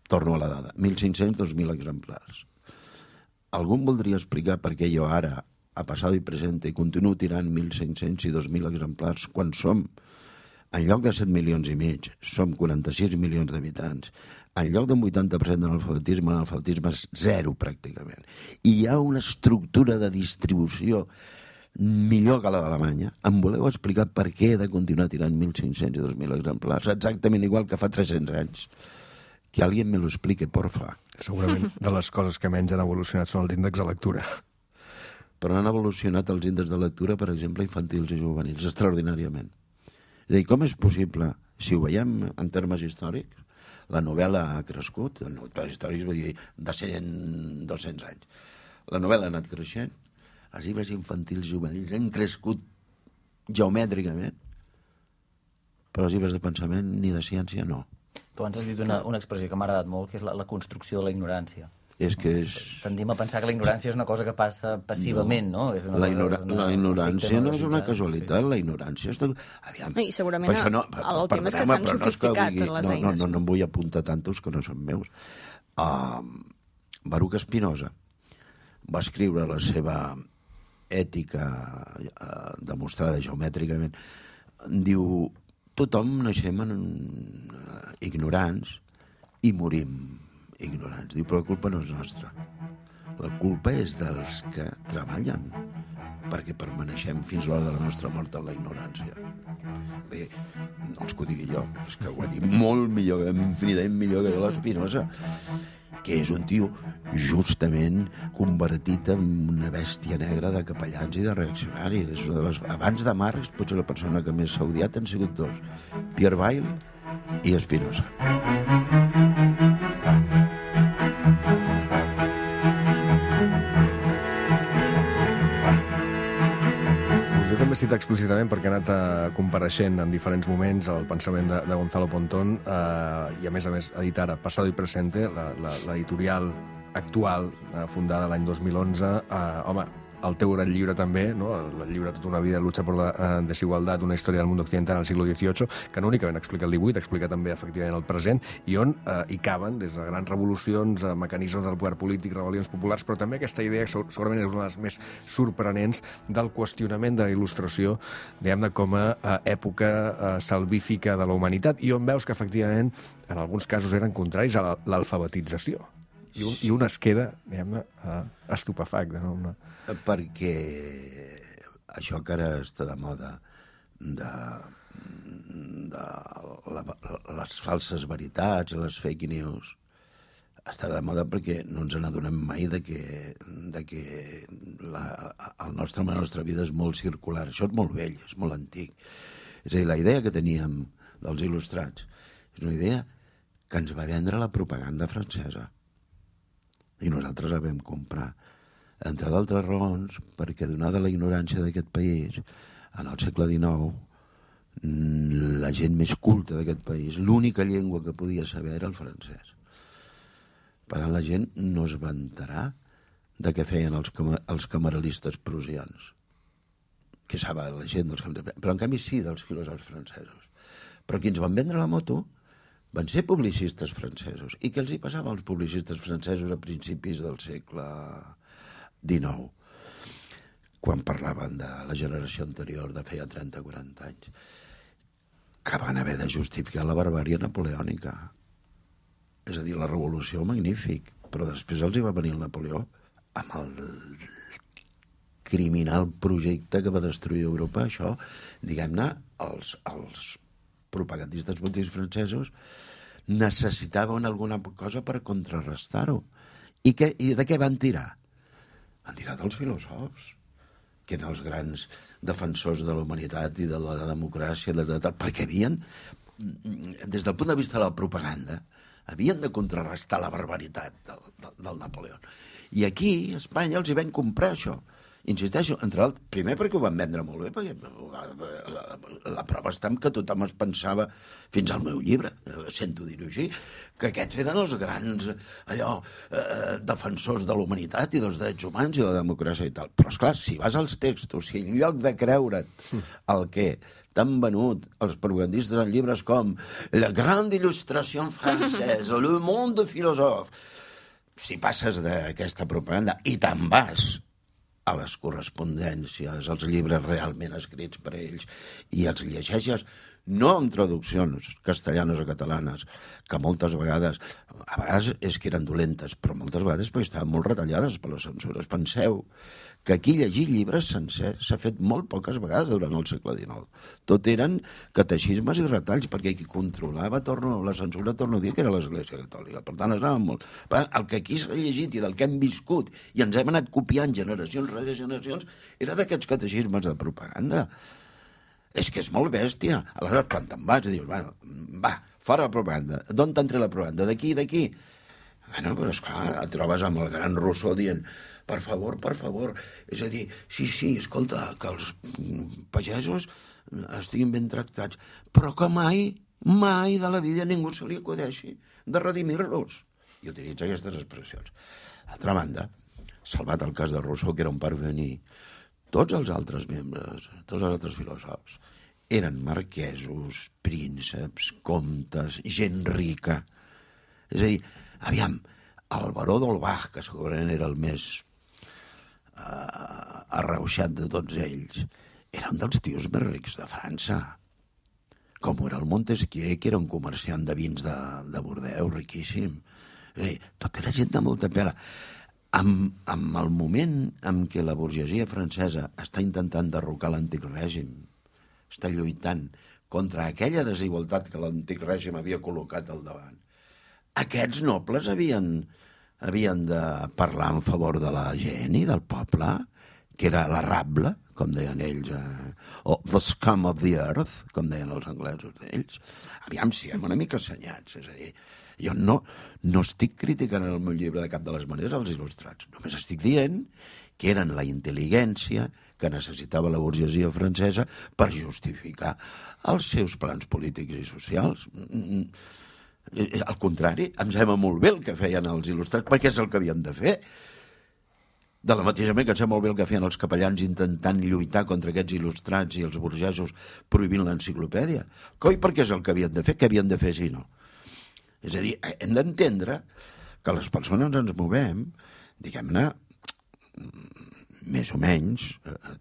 Speaker 3: Torno a la dada, 1.500, 2.000 exemplars. Algú em voldria explicar per què jo ara, a passat i present, continuo tirant 1.500 i 2.000 exemplars quan som en lloc de 7 milions i mig, som 46 milions d'habitants. En lloc d'un 80% l'alfabetisme és zero, pràcticament. I hi ha una estructura de distribució millor que la d'Alemanya. Em voleu explicar per què he de continuar tirant 1.500 i 2.000 exemplars? Exactament igual que fa 300 anys. Que alguien me lo explique, porfa.
Speaker 1: Segurament de les coses que menys han evolucionat són els índexs de lectura.
Speaker 3: Però han evolucionat els índexs de lectura, per exemple, infantils i juvenils, extraordinàriament. És a dir, com és possible, si ho veiem en termes històrics, la novel·la ha crescut, històrics vull dir de 100, 200 anys. La novel·la ha anat creixent, els llibres infantils i juvenils han crescut geomètricament, però els llibres de pensament ni de ciència no.
Speaker 5: Tu abans has dit una expressió que m'ha agradat molt, que és la construcció de la ignorància.
Speaker 3: És que és...
Speaker 5: Tendim a pensar que la ignorància és una cosa que passa passivament, no? És una
Speaker 3: la ignorància no és una casualitat, la ignorància és... Aviam,
Speaker 4: I segurament el tema és que s'han sofisticat les eines.
Speaker 3: No em vull apuntar tantos que no són meus. Baruch Spinoza va escriure la seva ètica demostrada geomètricament. Diu, tothom naixem ignorants i morim ignorants. Diu, però la culpa no és nostra. La culpa és dels que treballen perquè permaneixem fins l'hora de la nostra mort en la ignorància. Bé, no és que ho digui jo, és que ho ha dit molt millor, infinitament millor que l'Espinosa, que és un tio justament convertit en una bèstia negra de capellans i de reaccionaris. És una de les... Abans de Marx, potser la persona que més s'ha odiat han sigut dos, Pierre Bayle i Spinoza.
Speaker 1: Citar explícitament perquè ha anat compareixent en diferents moments el pensament de Gonzalo Pontón i a més edita ara Pasado y Presente, l'editorial actual fundada l'any 2011. Home, el teu gran llibre també, no? El llibre Tota una vida lucha por la desigualdad, una història del mundo occidental al siglo XVIII, que no únicament explica el XVIII, explica també efectivament el present, i on hi caben des de grans revolucions, mecanismes del poder polític, rebel·lions populars, però també aquesta idea que segurament és una de les més sorprenents del qüestionament de la il·lustració, diguem-ne, com a època salvífica de la humanitat, i on veus que efectivament en alguns casos eren contraris a l'alfabetització. I un es queda, diguem-ne, estupefacte, no?
Speaker 3: Perquè això que ara està de moda de les falses veritats, les fake news, està de moda perquè no ens n'adonem mai de que la nostra vida és molt circular. Això és molt vell, és molt antic. És a dir, la idea que teníem dels il·lustrats és una idea que ens va vendre la propaganda francesa. I nosaltres la vam comprar. Entre d'altres raons, perquè donada la ignorància d'aquest país, en el segle XIX, la gent més culta d'aquest país, l'única llengua que podia saber era el francès. Per tant, la gent no es va enterar de què feien els cameralistes prusians, que saben la gent dels cameralistes, però en canvi sí dels filòsofs francesos. Però qui ens van vendre la moto van ser publicistes francesos. I què els hi passava als publicistes francesos a principis del segle XIX, quan parlaven de la generació anterior de feia 30 o 40 anys, que van haver de justificar la barbària napoleònica. És a dir, la revolució, magnífic, però després els hi va venir el Napoleó amb el criminal projecte que va destruir Europa. Això, diguem-ne, els propagandistes polítics francesos necessitaven alguna cosa per contrarrestar-ho. I de què van tirar? Van tirar dels filòsofs, que eren els grans defensors de la humanitat i de la democràcia, perquè havien, des del punt de vista de la propaganda, havien de contrarrestar la barbaritat del Napoleó. I aquí, a Espanya, els hi van comprar això. Insisteixo, entre l'altre, primer perquè ho van vendre molt bé, perquè la prova està en que tothom es pensava, fins al meu llibre, sento dir-ho així, que aquests eren els grans defensors de la humanitat i dels drets humans i la democràcia i tal. Però, esclar, si vas als textos, si en lloc de creure't el que t'han venut els propagandistes en llibres com La grande il·lustració francesa, Le monde philosophe, si passes d'aquesta propaganda i te'n vas a les correspondències, als llibres realment escrits per ells, i els llegeixes no amb traduccions castellanes o catalanes, que moltes vegades és que eren dolentes, però moltes vegades perquè estaven molt retallades per les censures. Penseu que aquí llegir llibres sencers s'ha fet molt poques vegades durant el segle XIX. Tot eren catexismes i retalls, perquè qui controlava la censura, torno a dir, que era l'Església Catòlica. Per tant, molt... El que aquí s'ha llegit i del que hem viscut i ens hem anat copiant generacions rere generacions era d'aquests catexismes de propaganda. És que és molt bèstia. Aleshores, quan te'n vas, dius, bueno, va, fora la propaganda. D'on t'ha entrat la propaganda? D'aquí, d'aquí. Bueno, però esclar, et trobes amb el gran Rousseau dient per favor. És a dir, sí, escolta, que els pagesos estiguin ben tractats, però que mai de la vida ningú se li acudeixi de redimir-los. I utilitza aquestes expressions. D'altra banda, salvat el cas de Rousseau, que era un parvení, tots els altres membres, tots els altres filòsofs, eren marquesos, prínceps, comtes, gent rica. És a dir, aviam, el baró d'Holbach, que segurament era el més arreuixat de tots ells, era un dels tios més rics de França. Com era el Montesquieu, que era un comerciant de vins de Bordeus, riquíssim. És a dir, tot era gent de molta pela. En el moment en què la burgesia francesa està intentant derrocar l'antic règim, està lluitant contra aquella desigualtat que l'antic règim havia col·locat al davant, aquests nobles havien de parlar en favor de la gent i del poble, que era la rabla, com deien ells, o the scum of the earth, com deien els anglesos d'ells. Aviam, siguem una mica assenyats, és a dir, jo no estic criticant en el meu llibre de cap de les maneres els il·lustrats, només estic dient que eren la intel·ligència que necessitava la burgesia francesa per justificar els seus plans polítics i socials. Al contrari, em sembla molt bé el que feien els il·lustrats, perquè és el que havien de fer. De la mateixa manera que em sembla molt bé el que feien els capellans intentant lluitar contra aquests il·lustrats i els burgesos prohibint l'enciclopèdia. Coi, perquè és el que havien de fer, què havien de fer si no? És a dir, hem d'entendre que les persones ens movem, diguem-ne, més o menys,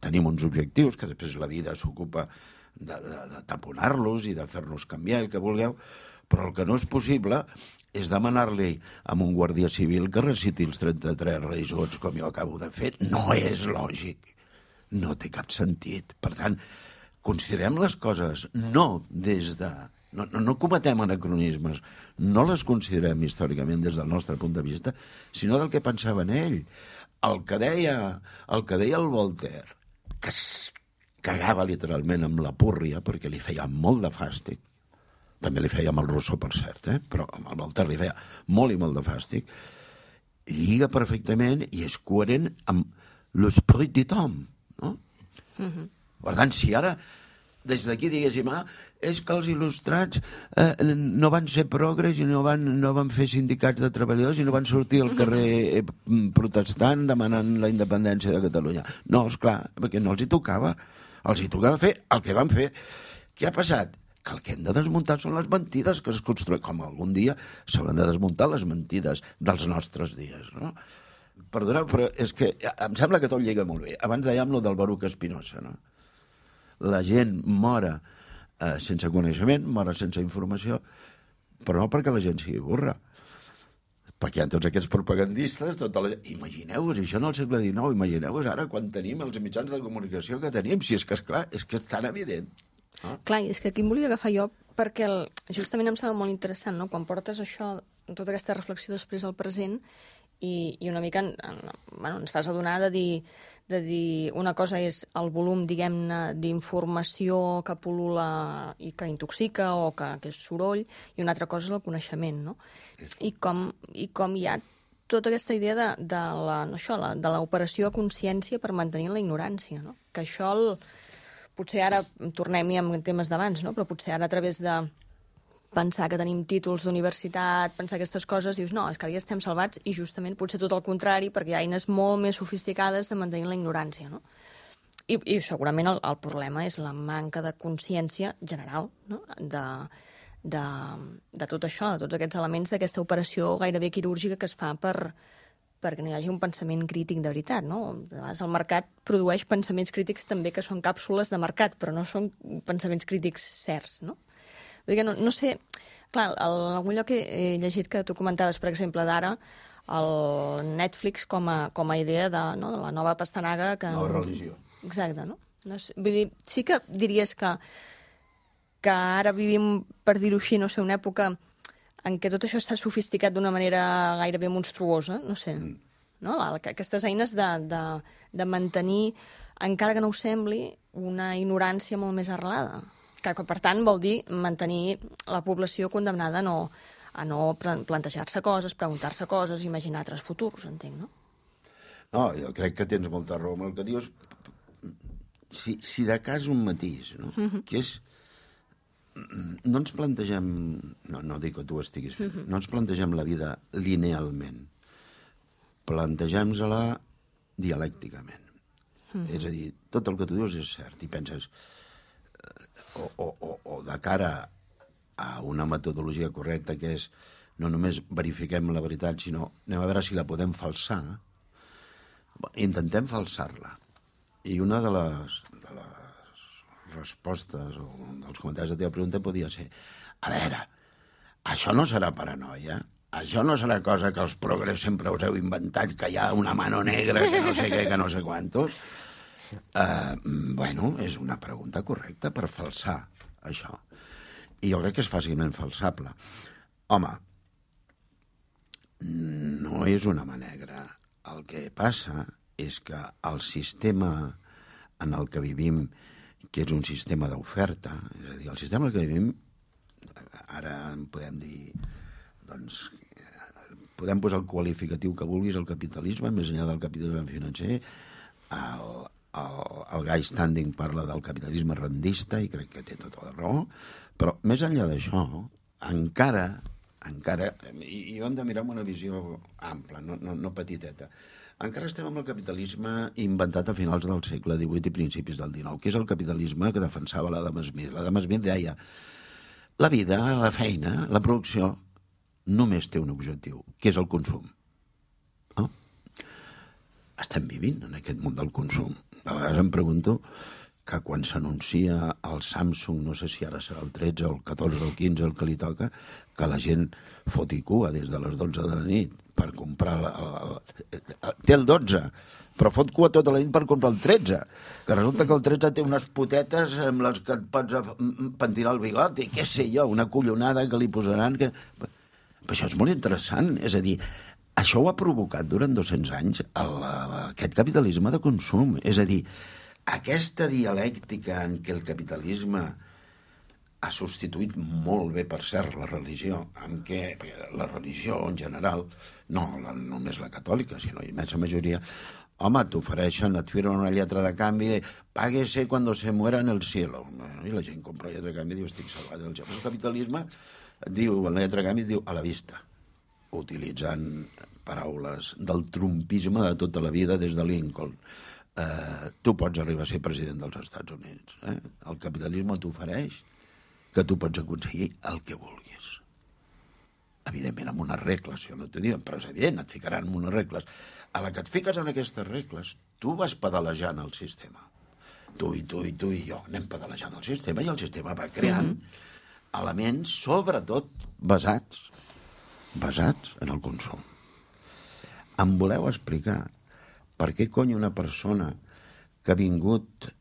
Speaker 3: tenim uns objectius, que després la vida s'ocupa de taponar-los i de fer-nos canviar, el que vulgueu, però el que no és possible és demanar-li a un guàrdia civil que reciti els 33 reis gots com jo acabo de fer. No és lògic. No té cap sentit. Per tant, considerem les coses no des de... No cometem anacronismes, no les considerem històricament des del nostre punt de vista, sinó del que pensava en ell. El que deia el Voltaire, que es cagava literalment amb la púrria perquè li feia molt de fàstic, també li feia amb el Rousseau, per cert, però amb el Voltaire li feia molt i molt de fàstic, lliga perfectament i és coherent amb l'esprit du temps, no? Per tant, si ara des d'aquí diguéssim, és que els il·lustrats no van ser progres i no van fer sindicats de treballadors i no van sortir al carrer protestant demanant la independència de Catalunya. No, esclar, perquè no els hi tocava. Els hi tocava fer el que van fer. Què ha passat? Que el que hem de desmuntar són les mentides que es construïen, com algun dia s'hauran de desmuntar les mentides dels nostres dies, no? Perdoneu, però és que em sembla que tot lliga molt bé. Abans dèiem lo del Baruch Spinoza, no? La gent mora sense coneixement, mora sense informació, però no perquè la gent sigui burra. Perquè hi ha tots aquests propagandistes, imagineu-vos això en el segle XIX, imagineu-vos ara quan tenim els mitjans de comunicació que tenim, si és que, esclar, és que és tan evident.
Speaker 4: Clar, és que aquí em volia agafar jo perquè justament em sembla molt interessant, no? Quan portes això, tota aquesta reflexió després al present i una mica ens fas adonar de dir una cosa és el volum, diguem-ne, d'informació que pul·lula i que intoxica o que és soroll, i una altra cosa és el coneixement, no? I com hi ha tota aquesta idea de l'operació a consciència per mantenir la ignorància, no? Que això, potser ara tornem-hi amb temes d'abans, no? Però potser ara a través de pensar que tenim títols d'universitat, pensar aquestes coses, dius, no, és que ara ja estem salvats i justament potser tot el contrari, perquè hi ha eines molt més sofisticades de mantenir la ignorància, no? I segurament el problema és la manca de consciència general, no? De tot això, de tots aquests elements d'aquesta operació gairebé quirúrgica que es fa per perquè no hi hagi un pensament crític de veritat, no? A vegades el mercat produeix pensaments crítics també que són càpsules de mercat, però no són pensaments crítics certs, no? Vull dir que no sé... Clar, en algun lloc he llegit que tu comentaves, per exemple, d'ara, el Netflix com a idea de la nova pastanaga que...
Speaker 3: Nova religió.
Speaker 4: Exacte, no? No sé, vull dir, sí que diries que ara vivim, per dir-ho així, no sé, una època en què tot això està sofisticat d'una manera gairebé monstruosa, no sé, no? Aquestes eines de mantenir, encara que no ho sembli, una ignorància molt més arrelada, que per tant vol dir mantenir la població condemnada a no plantejar-se coses, preguntar-se coses, imaginar altres futurs, entenc, no?
Speaker 3: No, jo crec que tens molta raó amb el que dius. Si de cas un matís, no? Que és... No ens plantegem... No dic que tu estiguis fent. No ens plantegem la vida linealment. Plantegem-la dialècticament. És a dir, tot el que tu dius és cert. I penses... O de cara a una metodologia correcta, que és no només verifiquem la veritat, sinó anem a veure si la podem falsar. Intentem falsar-la. I una de les respostes o dels comentaris de la teva pregunta podia ser: a veure, això no serà paranoia? Això no serà cosa que els progres sempre us heu inventat, que hi ha una mano negra, que no sé què, que no sé quantos? Bueno, és una pregunta correcta per falsar això. I jo crec que és fàcilment falsable. Home, no és una mà negra. El que passa és que el sistema en el que vivim, que és un sistema d'oferta, és a dir, el sistema en el que vivim, ara en podem dir, doncs, podem posar el qualificatiu que vulguis al capitalisme, més enllà del capitalisme financer, el Guy Standing parla del capitalisme rendista, i crec que té tota la raó, però més enllà d'això, encara, i ho hem de mirar amb una visió ampla, no petiteta, encara estem amb el capitalisme inventat a finals del segle XVIII i principis del XIX, que és el capitalisme que defensava l'Adam Smith. L'Adam Smith deia: la vida, la feina, la producció, només té un objectiu, que és el consum. No? Estem vivint en aquest món del consum. A vegades em pregunto que quan s'anuncia el Samsung, no sé si ara serà el 13 o el 14 o el 15 el que li toca, que la gent foti cua des de les 12 de la nit per comprar té el 12, però fot cua tota la nit per comprar el 13, que resulta que el 13 té unes potetes amb les que et pots pentinar el bigot i què sé jo, una collonada que li posaran que... Això és molt interessant, és a dir, això ho ha provocat durant 200 anys aquest capitalisme de consum, és a dir, aquesta dialèctica en què el capitalisme ha substituït molt bé, per cert, la religió, en què la religió en general, no només la catòlica, sinó la immensa majoria, home, t'ofereixen, et firmen una lletra de canvi, páguese cuando se muera en el cielo. I la gent compra la lletra de canvi i diu, estic salvat del cielo. El capitalisme diu, la lletra de canvi diu, a la vista, utilitzant paraules del trumpisme de tota la vida des de Lincoln. Tu pots arribar a ser president dels Estats Units. El capitalisme t'ofereix que tu pots aconseguir el que vulguis. Evidentment, amb unes regles, jo no t'ho dic, però és evident, et ficaran en unes regles. A la que et fiques en aquestes regles, tu vas pedalejant el sistema. Tu i jo anem pedalejant el sistema i el sistema va creant elements, sobretot, basats en el consum. Em voleu explicar per què cony una persona que ha vingut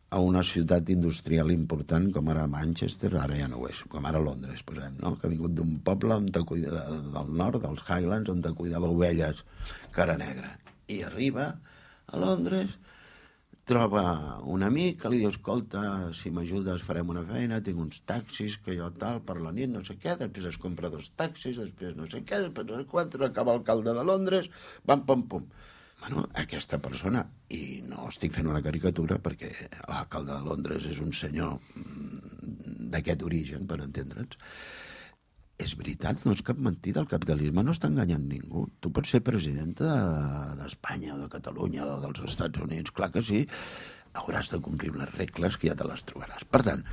Speaker 3: a una ciutat industrial important com ara Manchester, ara ja no ho és, com ara Londres, posem, no? Que ha vingut d'un poble del nord, dels Highlands, on cuidava ovelles cara negra. I arriba a Londres, troba un amic que li diu, escolta, si m'ajudes farem una feina, tinc uns taxis, que jo tal, per la nit, no sé què, després es compra 2 taxis, després no sé què, després no sé quant, acaba alcalde de Londres, pam, pam, pum. Bueno, aquesta persona, i no estic fent una caricatura perquè l'alcalde de Londres és un senyor d'aquest origen, per entendre'ns, és veritat, no és cap mentida, el capitalisme no està enganyant ningú. Tu pots ser presidenta d'Espanya o de Catalunya o dels Estats Units, clar que sí, hauràs de complir unes regles que ja te les trobaràs. Per tant,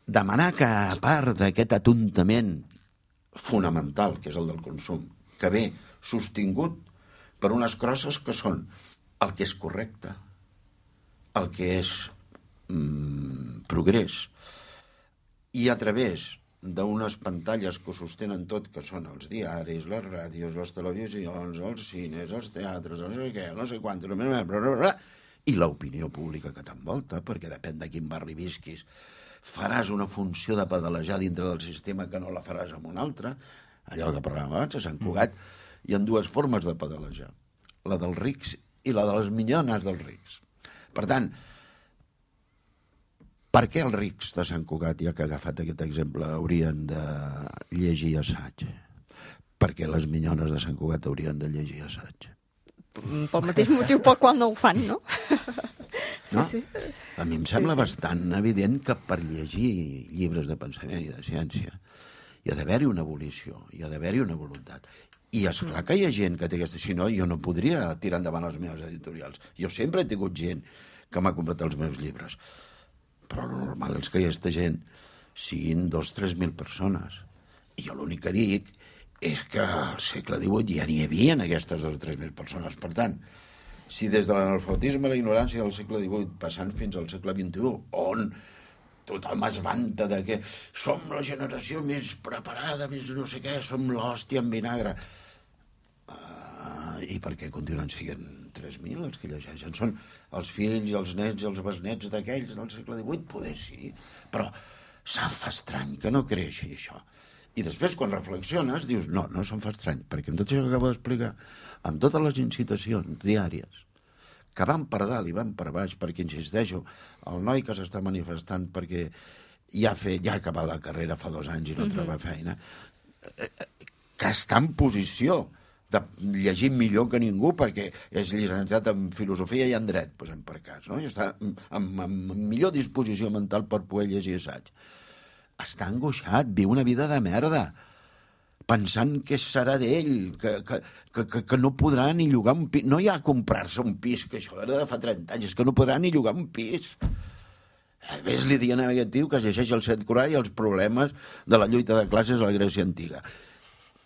Speaker 3: demanar que a part d'aquest atontament fonamental, que és el del consum, que ve sostingut per unes crosses que són el que és correcte, el que és progrés, i a través d'unes pantalles que ho sostenen tot, que són els diaris, les ràdios, les televisions, els cines, els teatres, no sé què, no sé quant, i l'opinió pública que t'envolta, perquè depèn de quin barri visquis, faràs una funció de pedalejar dintre del sistema que no la faràs amb un altre. Allò que parlàvem abans, a Sant Cugat, hi ha dues formes de pedalejar, la dels rics i la de les minyones dels rics. Per tant, per què els rics de Sant Cugat, ja que ha agafat aquest exemple, haurien de llegir assaig? Perquè les minyones de Sant Cugat haurien de llegir assaig?
Speaker 4: Pel mateix motiu pel qual no ho fan, no?
Speaker 3: No? Sí. A mi em sembla bastant evident que per llegir llibres de pensament i de ciència hi ha d'haver-hi una volició, hi ha d'haver-hi una voluntat. I és clar que hi ha gent que té aquesta... Si no, jo no podria tirar endavant les meves editorials. Jo sempre he tingut gent que m'ha comprat els meus llibres. Però el normal és que aquesta gent siguin 2.000-3.000 persones. I jo l'únic que dic és que al segle XVIII ja n'hi havia aquestes 2.000-3.000 persones. Per tant, si des de l'analfabetisme i la ignorància del segle XVIII passant fins al segle XXI, on tothom es vanta de que som la generació més preparada, més no sé què, som l'hòstia en vinagre. I per què continuen sent 3.000 els que llegeixen? Són els fills i els nets i els besnets d'aquells del segle XVIII? Poder sí, però se'm fa estrany que no creixi això. I després, quan reflexiones, dius, no se'm fa estrany, perquè amb tot això que acabo d'explicar, amb totes les incitacions diàries, que van per dalt i van per baix, perquè, insisteixo, el noi que s'està manifestant perquè ja ha acabat la carrera fa 2 anys i no troba feina, que està en posició de llegir millor que ningú perquè és llicenciat en filosofia i en dret, posem per cas, no? I està amb millor disposició mental per poder llegir assaig. Està angoixat, viu una vida de merda, pensant que serà d'ell, que no podrà ni llogar un pis. No hi ha comprar-se un pis, que això era de fa 30 anys, és que no podrà ni llogar un pis. Ves-li dient a aquest tio que es llegeix el Set Corall i els problemes de la lluita de classes a la Grècia antiga.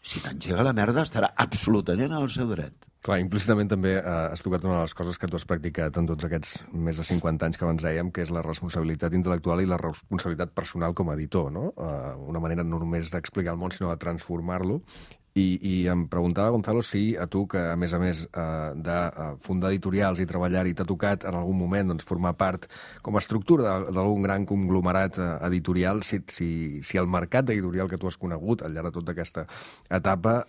Speaker 3: Si t'engega la merda, estarà absolutament al seu dret.
Speaker 1: Clar, implícitament també has tocat una de les coses que tu has practicat en tots aquests més de 50 anys que abans dèiem, que és la responsabilitat intel·lectual i la responsabilitat personal com a editor, no? Una manera no només d'explicar el món, sinó de transformar-lo. I em preguntava, Gonzalo, si a tu, que a més de fundar editorials i treballar-hi, t'ha tocat en algun moment formar part com a estructura d'algun gran conglomerat editorial, si el mercat d'editorial que tu has conegut al llarg de tota aquesta etapa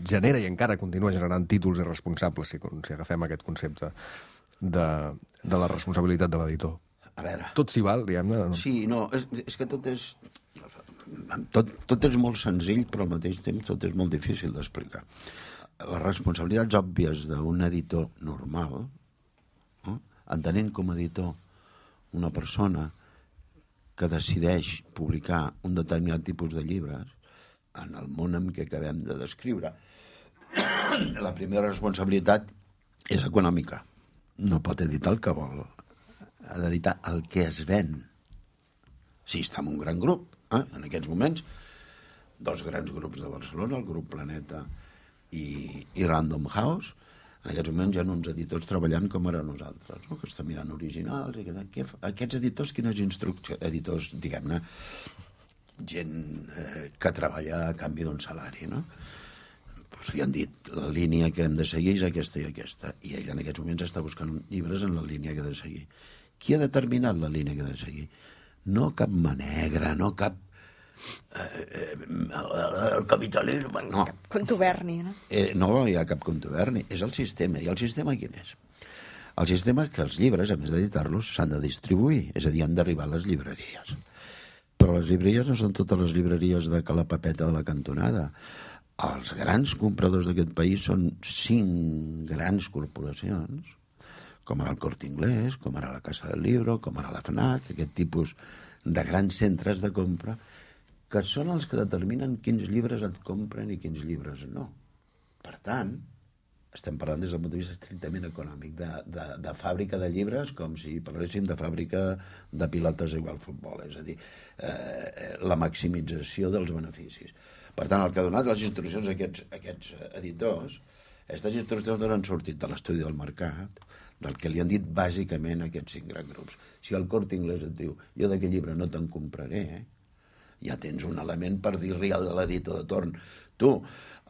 Speaker 1: genera i encara continua generant títols irresponsables, si agafem aquest concepte de la responsabilitat de l'editor.
Speaker 3: A veure...
Speaker 1: Tot s'hi val, diguem-ne?
Speaker 3: Sí, no, és que tot és... Tot és molt senzill, però al mateix temps tot és molt difícil d'explicar. Les responsabilitats òbvies d'un editor normal, no? Entenent com a editor una persona que decideix publicar un determinat tipus de llibres en el món en què acabem de descriure, la primera responsabilitat és econòmica. No pot editar el que vol. Ha d'editar el que es ven. Si està en un gran grup, en aquests moments, 2 grans grups de Barcelona, el grup Planeta i Random House, en aquests moments hi ha uns editors treballant com ara nosaltres, no? Que estan mirant originals. Aquests editors, quines instruccions? Editors, diguem-ne, gent que treballa a canvi d'un salari, no? Pues li han dit, la línia que hem de seguir és aquesta i aquesta, i ell en aquests moments està buscant llibres en la línia que ha de seguir. Qui ha determinat la línia que ha de seguir? No cap mà negra, no cap... el capitalisme, no.
Speaker 4: Cap contuberni, no?
Speaker 3: No hi ha cap contuberni, és el sistema. I el sistema quin és? El sistema és que els llibres, a més d'editar-los, s'han de distribuir, és a dir, han d'arribar a les llibreries. Però les llibreries no són totes les llibreries de Ca la Papeta de la cantonada. Els grans compradors d'aquest país són 5 grans corporacions, com ara el Corte Inglés, com ara la Casa del Libro, com ara la FNAC, aquest tipus de grans centres de compra, que són els que determinen quins llibres et compren i quins llibres no. Per tant, estem parlant des del punt de vista estrictament econòmic, de fàbrica de llibres, com si parléssim de fàbrica de pilotes igual futbol, és a dir, la maximització dels beneficis. Per tant, el que ha donat les instruccions a aquests editors Aquestes instruccions han sortit de l'estudi del mercat, del que li han dit bàsicament aquests 5 grans grups. Si el Corte Inglés et diu jo d'aquest llibre no te'n compraré, ja tens un element per dir-li a l'editor de torn. Tu,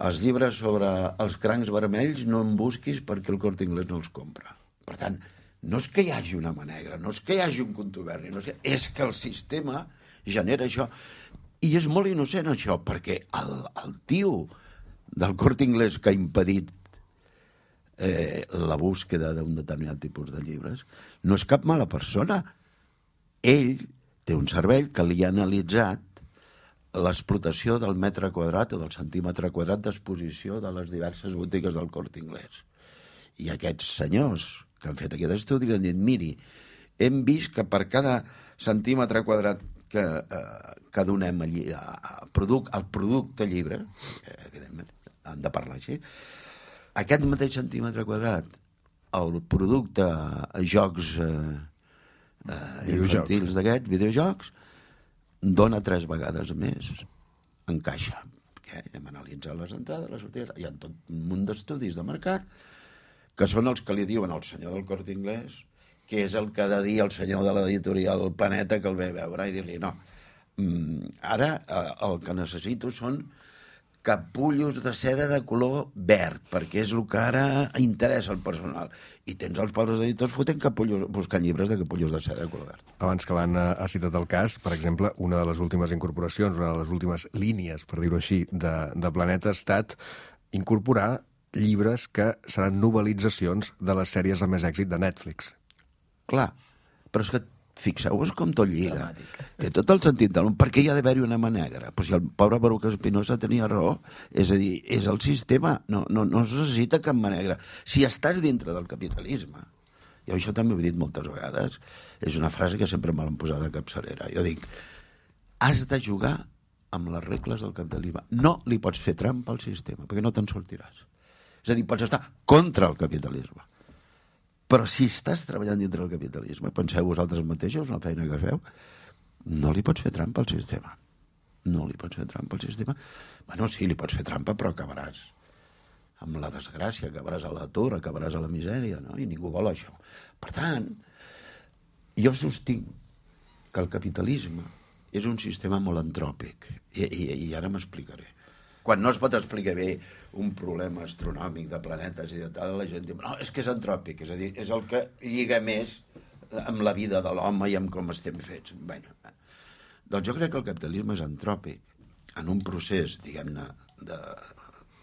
Speaker 3: els llibres sobre els crancs vermells no en busquis perquè el Corte Inglés no els compra. Per tant, no és que hi hagi una mà negra, no és que hi hagi un contuberni, és que el sistema genera això. I és molt innocent això, perquè el tio del Corte Inglés que ha impedit la búsqueda d'un determinat tipus de llibres no és cap mala persona. Ell té un cervell que li ha analitzat l'explotació del metre quadrat o del centímetre quadrat d'exposició de les diverses botigues del Corte Inglés. I aquests senyors que han fet aquest estudi li han dit, miri, hem vist que per cada centímetre quadrat que donem allí al producte llibre, evidentment, han de parlar així, aquest mateix centímetre quadrat, el producte jocs infantils d'aquests, videojocs, dona 3 vegades més en caixa. Perquè hem analitzat les entrades, les sortides, hi ha tot un munt d'estudis de mercat que són els que li diuen al senyor del Corte Inglés, que és el que ha de dir el senyor de l'editorial Planeta que el ve a veure i dir-li no. Ara el que necessito són capullos de seda de color verd, perquè és el que ara interessa al personal. I tens els pobres editors fotent capullos, buscant llibres de capullos de seda de color verd.
Speaker 1: Abans que l'Anna ha citat el cas, per exemple, una de les últimes incorporacions, una de les últimes línies, per dir-ho així, de Planeta ha estat incorporar llibres que seran novel·litzacions de les sèries de més èxit de Netflix.
Speaker 3: Clar, però és que fixeu-vos com tot lliga. Té tot el sentit del món. Per què hi ha d'haver-hi una mà negra? Però si el pobre Baruch Espinosa tenia raó, és a dir, és el sistema, no es necessita cap mà negra. Si estàs dintre del capitalisme, jo això també ho he dit moltes vegades, és una frase que sempre me l'han posat de capçalera. Jo dic, has de jugar amb les regles del capitalisme. No li pots fer trampa al sistema, perquè no te'n sortiràs. És a dir, pots estar contra el capitalisme. Però si estàs treballant dintre del capitalisme, penseu vosaltres mateixos, la feina que feu, no li pots fer trampa al sistema. No li pots fer trampa al sistema. Bueno, sí, li pots fer trampa, però acabaràs amb la desgràcia, acabaràs a l'atur, acabaràs a la misèria, no? I ningú vol això. Per tant, jo sostinc que el capitalisme és un sistema molt antròpic. I ara m'explicaré. Quan no es pot explicar bé un problema astronòmic de planetes i de tal, la gent diu, no, és que és antròpic, és a dir, és el que lliga més amb la vida de l'home i amb com estem fets. Bueno, doncs jo crec que el capitalisme és antròpic en un procés, diguem-ne,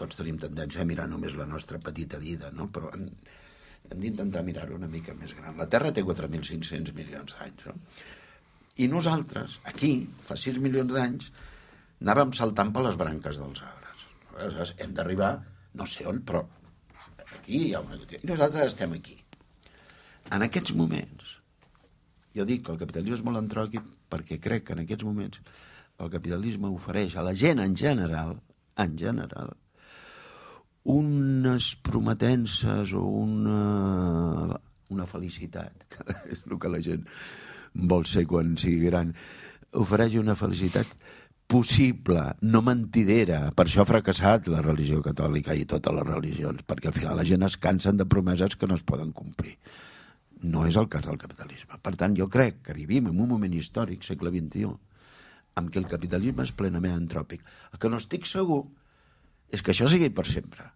Speaker 3: tots tenim tendència a mirar només la nostra petita vida, no? Però hem d'intentar mirar-ho una mica més gran. La Terra té 4.500 milions d'anys, no? I nosaltres, aquí, fa 6 milions d'anys, anàvem saltant per les branques dels arbres. Aleshores, hem d'arribar, no sé on, però aquí hi ha una... I nosaltres estem aquí. En aquests moments, jo dic que el capitalisme és molt antròpic perquè crec que en aquests moments el capitalisme ofereix a la gent en general, unes prometences o una felicitat, que és el que la gent vol ser quan sigui gran, ofereix una felicitat possible, no mentidera. Per això ha fracassat la religió catòlica i totes les religions, perquè al final la gent es cansen de promeses que no es poden complir. No és el cas del capitalisme. Per tant, jo crec que vivim en un moment històric, segle XXI, en què el capitalisme és plenament antròpic. El que no estic segur és que això sigui per sempre.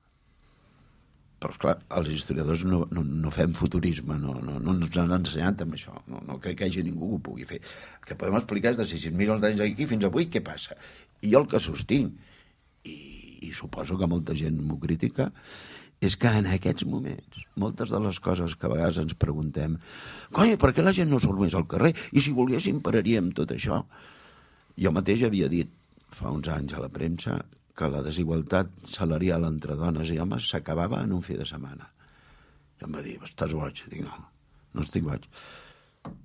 Speaker 3: Però, esclar, els historiadors no fem futurisme, no ens han ensenyat amb això. No crec que hi hagi ningú que ho pugui fer. El que podem explicar és de 600 milions d'anys aquí fins avui què passa. I jo el que sostinc, i suposo que molta gent m'ho critica, és que en aquests moments, moltes de les coses que a vegades ens preguntem, coi, per què la gent no surt més al carrer? I si volguéssim pararíem tot això? Jo mateix havia dit fa uns anys a la premsa que la desigualtat salarial entre dones i homes s'acabava en un fi de setmana. I em va dir, estàs boig? Dic, no estic boig.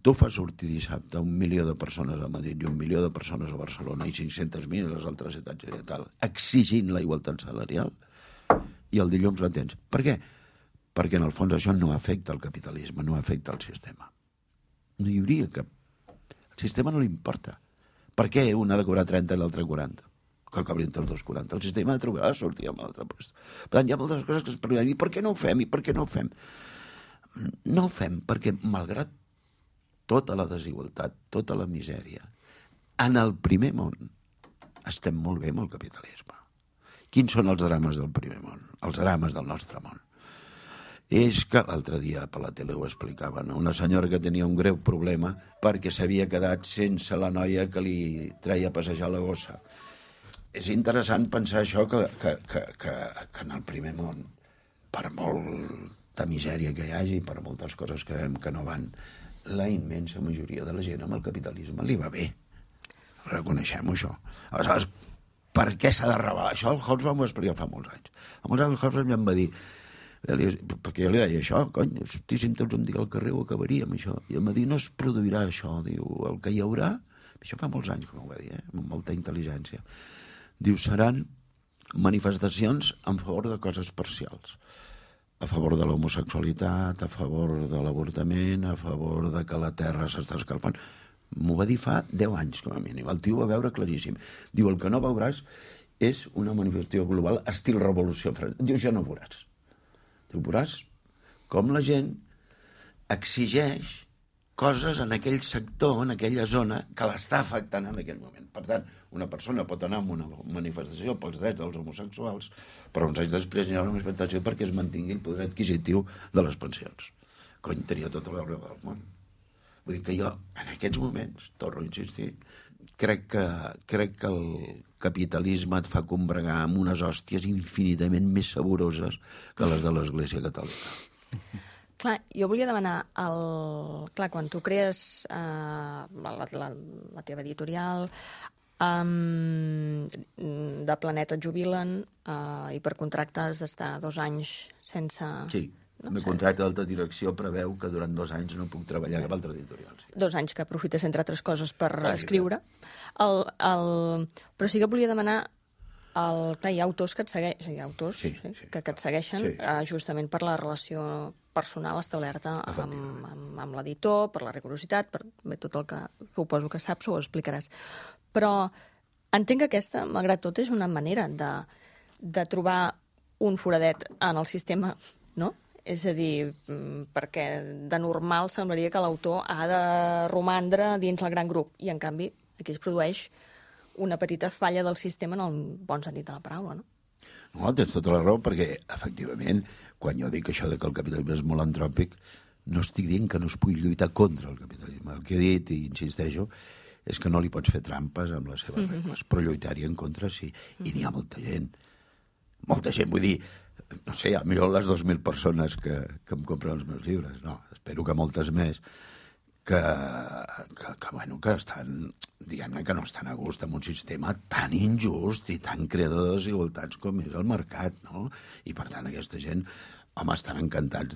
Speaker 3: Tu fas sortir dissabte 1 milió de persones a Madrid i 1 milió de persones a Barcelona i 500.000 a les altres ciutats i tal, exigint la igualtat salarial, i el dilluns la tens. Per què? Perquè en el fons això no afecta el capitalisme, no afecta el sistema. No hi hauria cap... El sistema no li importa. Per què un ha de cobrar 30 i l'altre 40? que cobrin tots 2,40. El sistema trobarà sortir amb l'altre lloc. Per tant, hi ha moltes coses que es pregunten, i per què no ho fem, i per què no ho fem? No ho fem perquè, malgrat tota la desigualtat, tota la misèria, en el primer món estem molt bé amb el capitalisme. Quins són els drames del primer món? Els drames del nostre món. És que l'altre dia per la tele ho explicaven, una senyora que tenia un greu problema perquè s'havia quedat sense la noia que li treia a passejar la gossa. És interessant pensar això, que en el primer món, per molta misèria que hi hagi, per moltes coses que veiem que no van, la immensa majoria de la gent amb el capitalisme li va bé. Reconeixem això. Aleshores, per què s'ha de revelar? Això el Hobbes m'ho explicar fa molts anys. A molts anys el Hobbes em va dir, perquè jo li deia això, cony, hosti, si tots un dia al carrer ho acabaríem, això. I em va dir, no es produirà això, diu, el que hi haurà, això fa molts anys que m'ho va dir, amb molta intel·ligència, diu, seran manifestacions en favor de coses parcials, a favor de l'homosexualitat, a favor de l'avortament, a favor de que la terra s'està escalfant. M'ho va dir fa 10 anys, com a mínim. El tio va veure claríssim. Diu, el que no veuràs és una manifestació global estil revolució francesa. Diu, ja no veuràs. Diu, veuràs com la gent exigeix coses en aquell sector, en aquella zona, que l'està afectant en aquell moment. Per tant, una persona pot anar a una manifestació pels drets dels homosexuals, però uns anys després hi ha una manifestació perquè es mantingui el poder adquisitiu de les pensions. Cony, tenia tot el veure del món. Vull dir que jo, en aquests moments, torno a insistir, crec que el capitalisme et fa combregar amb unes hòsties infinitament més saboroses que les de l'Església Catòlica.
Speaker 4: Clar, jo volia demanar, clar, quan tu crees la teva editorial, de Planeta et jubilen i per contracte has d'estar 2 anys sense...
Speaker 3: Sí. El meu contracte d'alta direcció preveu que durant 2 anys no puc treballar cap altra editorial. Sí.
Speaker 4: 2 anys que aprofites, entre altres coses, per escriure. Però sí que volia demanar... Clar, hi ha autors que et segueixen, que et segueixen justament per la relació personal establerta amb l'editor, per la rigorositat, per tot el que suposo que saps o ho explicaràs. Però entenc que aquesta, malgrat tot, és una manera de trobar un foradet en el sistema, no? És a dir, perquè de normal semblaria que l'autor ha de romandre dins el gran grup, i en canvi aquí es produeix una petita falla del sistema en el bon sentit de la paraula, no?
Speaker 3: No, tens tota la raó, perquè, efectivament, quan jo dic això de que el capitalisme és molt antròpic, no estic dient que no es pugui lluitar contra el capitalisme. El que he dit, i insisteixo, és que no li pots fer trampes amb les seves regles, però lluitar-hi en contra sí. I n'hi ha molta gent, vull dir, no sé, a millor les 2.000 persones que em compren els meus llibres, no, espero que moltes més, que estan, diguem-ne, que no estan a gust amb un sistema tan injust i tan creador de desigualtats com és el mercat, no? I, per tant, aquesta gent, home, estan encantats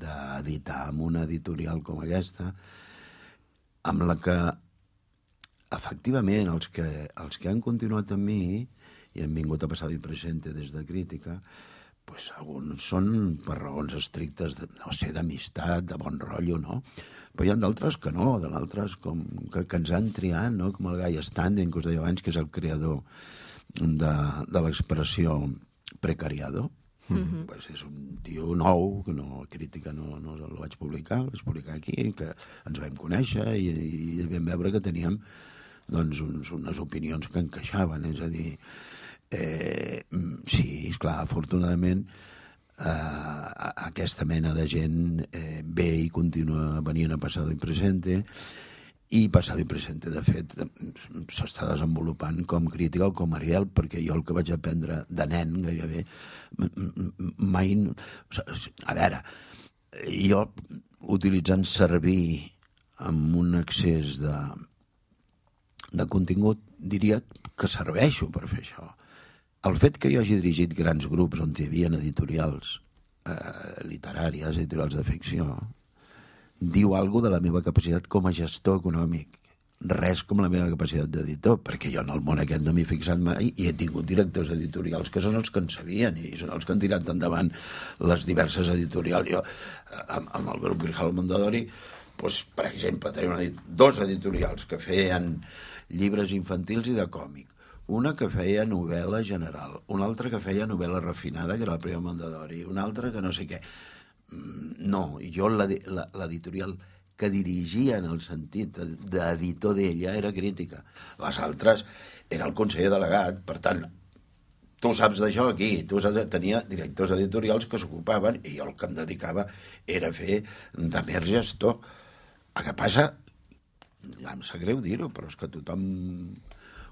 Speaker 3: d'editar amb una editorial com aquesta, amb la que, efectivament, els que han continuat amb mi i han vingut a Passado y Presente des de Crítica, pues alguns són per raons estrictes, no sé, d'amistat, de bon rotllo, no? Però hi ha d'altres que no, d'altres que ens han triat, no? Com el Guy Standing, que us deia abans, que és el creador de l'expressió precariado. Pues és un tio nou, que no, Crítica no el vaig publicar, el vaig publicar aquí, que ens vam conèixer i vam veure que teníem doncs, unes opinions que encaixaven, és a dir, sí, esclar, afortunadament aquesta mena de gent ve i continua venint a Passado y Presente, i Passado y Presente, de fet, s'està desenvolupant com Crítica o com Ariel, perquè jo el que vaig aprendre de nen gairebé mai... A veure, jo utilitzant servir amb un excés de contingut, diria que serveixo per fer això. El fet que jo hagi dirigit grans grups on hi havia editorials literàries, editorials de ficció, diu alguna de la meva capacitat com a gestor econòmic. Res com la meva capacitat d'editor, perquè jo en el món aquest no m'he fixat mai i he tingut directors editorials que són els que en sabien i són els que han tirat endavant les diverses editorials. Jo, amb el grup Grijalvo Mondadori, doncs, per exemple, tenia dos editorials que feien llibres infantils i de còmic. Una que feia novel·la general, una altra que feia novel·la refinada, que era la Prima Mondadori, una altra que no sé què. No, jo l'editorial que dirigia en el sentit d'editor d'ella era Crítica. Les altres era el conseller delegat, per tant, tu saps d'això aquí, tenia directors editorials que s'ocupaven i jo el que em dedicava era fer de mer gestor. El que passa, ja em sap greu dir-ho, però és que tothom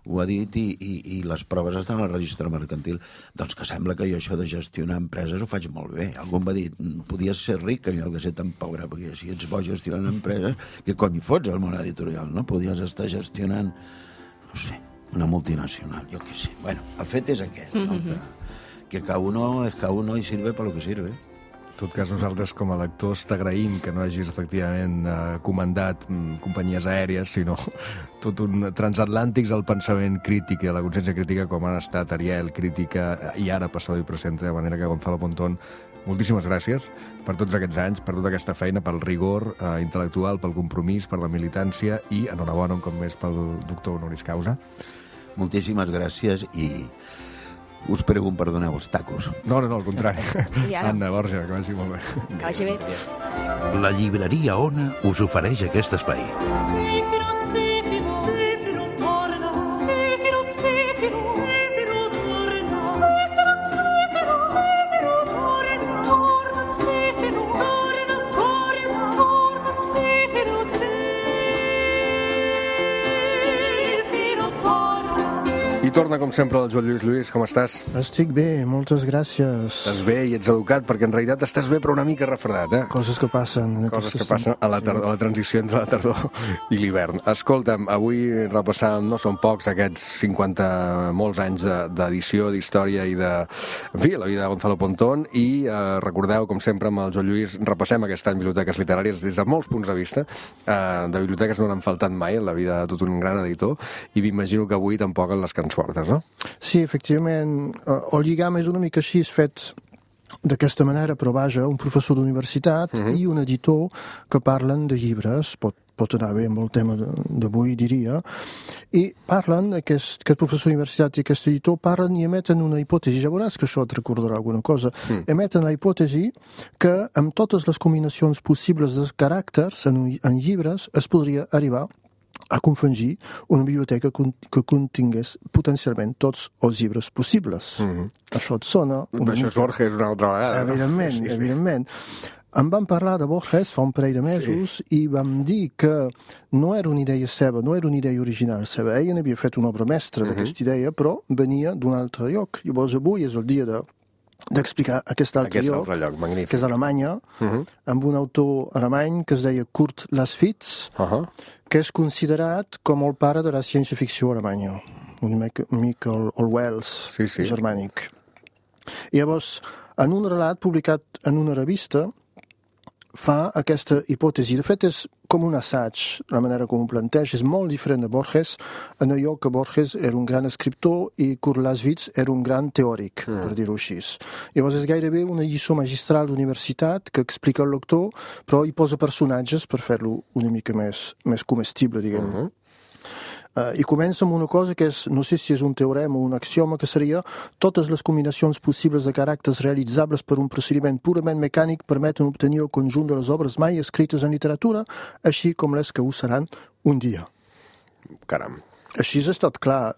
Speaker 3: ho ha dit i les proves estan al registre mercantil. Doncs que sembla que jo això de gestionar empreses ho faig molt bé. Algú em va dir, podies ser ric en lloc de ser tan pobre, perquè si ets bo gestionant empreses, què cony fots al món editorial, no? Podies estar gestionant, no sé, una multinacional, jo què sé. Bueno, el fet és aquest, no? Que cada uno y sirve para lo que sirve.
Speaker 1: En tot cas, nosaltres com a lectors t'agraïm que no hagis efectivament comandat companyies aèries, sinó tot un transatlàntics al pensament crític i a la consciència crítica com han estat Ariel, Crítica i ara Pasado y Presente, de manera que Gonzalo Pontón, moltíssimes gràcies per tots aquests anys, per tota aquesta feina, pel rigor intel·lectual, pel compromís, per la militància i enhorabona un cop més pel doctor honoris causa.
Speaker 3: Moltíssimes gràcies i us prego un perdoneu els tacos.
Speaker 1: No, al contrari.
Speaker 4: ara?
Speaker 1: Anna, Borja, que vagi molt bé.
Speaker 4: Que vagi bé.
Speaker 2: La llibreria Ona us ofereix aquest espai.
Speaker 1: I torna, com sempre, el Joan Lluís. Lluís, com estàs?
Speaker 7: Estic bé, moltes gràcies.
Speaker 1: Estàs bé i ets educat, perquè en realitat estàs bé però una mica refredat, eh?
Speaker 7: Coses que passen.
Speaker 1: Coses que passen a la transició entre la tardor i l'hivern. Escolta'm, avui repassàvem, no són pocs, aquests 50 molts anys d'edició, d'història i de... En fi, la vida de Gonzalo Pontón, i recordeu, com sempre, amb el Joan Lluís, repassem aquest any biblioteques literàries des de molts punts de vista. De biblioteques no n'han faltat mai en la vida de tot un gran editor, i m'imagino que avui tampoc en les que ens portes, no?
Speaker 7: Sí, efectivament. El lligam és una mica així, fet d'aquesta manera, però vaja, un professor d'universitat i un editor que parlen de llibres, pot anar bé amb el tema d'avui, diria, i parlen, aquest professor d'universitat i aquest editor parlen i emeten una hipòtesi, ja veuràs que això et recordarà alguna cosa, emeten la hipòtesi que amb totes les combinacions possibles de caràcters en llibres es podria arribar a confegir una biblioteca que contingués potencialment tots els llibres possibles. Això et sona...
Speaker 1: Això és Borges una altra vegada.
Speaker 7: Evidentment, evidentment. Em van parlar de Borges fa un parell de mesos i vam dir que no era una idea seva, no era una idea original seva. Ell n'havia fet una obra mestra d'aquesta idea, però venia d'un altre lloc. Llavors avui és el dia d'explicar aquest altre lloc,
Speaker 1: magnífic,
Speaker 7: que és Alemanya, amb un autor alemany que es deia Kurt Laswitz, que és considerat com el pare de la ciència-ficció alemanya, una mica el Wells germànic. I llavors, en un relat publicat en una revista, fa aquesta hipòtesi. De fet, és com un assaig, la manera com ho planteja. És molt diferent de Borges, en allò que Borges era un gran escriptor i Kurt Laswitz era un gran teòric, per dir-ho així. Llavors és gairebé una lliçó magistral d'universitat que explica el lector, però hi posa personatges per fer-lo una mica més comestible, diguem. I comença amb una cosa que és, no sé si és un teorema o un axioma, que seria totes les combinacions possibles de caràcters realitzables per un procediment purament mecànic permeten obtenir el conjunt de les obres mai escrites en literatura, així com les que ho seran un dia.
Speaker 1: Caram.
Speaker 7: Així és tot clar.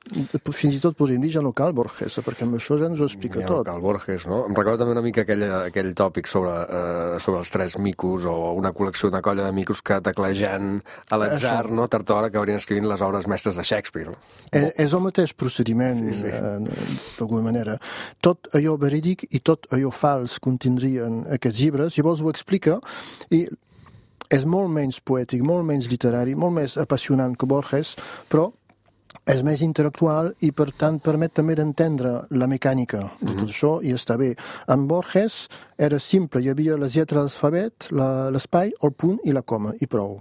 Speaker 7: Fins i tot podríem dir ja no cal Borges, perquè amb això ja ens ho explica tot.
Speaker 1: Ja no cal Borges, no? Em recorda també una mica aquell tòpic sobre els tres micos o una col·lecció, una colla de micos que teclejant a l'atzar, no? Tard o d'hora acabarien escrivint les obres mestres de Shakespeare.
Speaker 7: És el mateix procediment, d'alguna manera. Tot allò verídic i tot allò fals contindrien aquests llibres, llavors ho explica i és molt menys poètic, molt menys literari, molt més apassionant que Borges, però és més intel·lectual i, per tant, permet també d'entendre la mecànica de tot això i està bé. En Borges era simple, hi havia les lletres de l'alfabet, l'espai, el punt i la coma, i prou.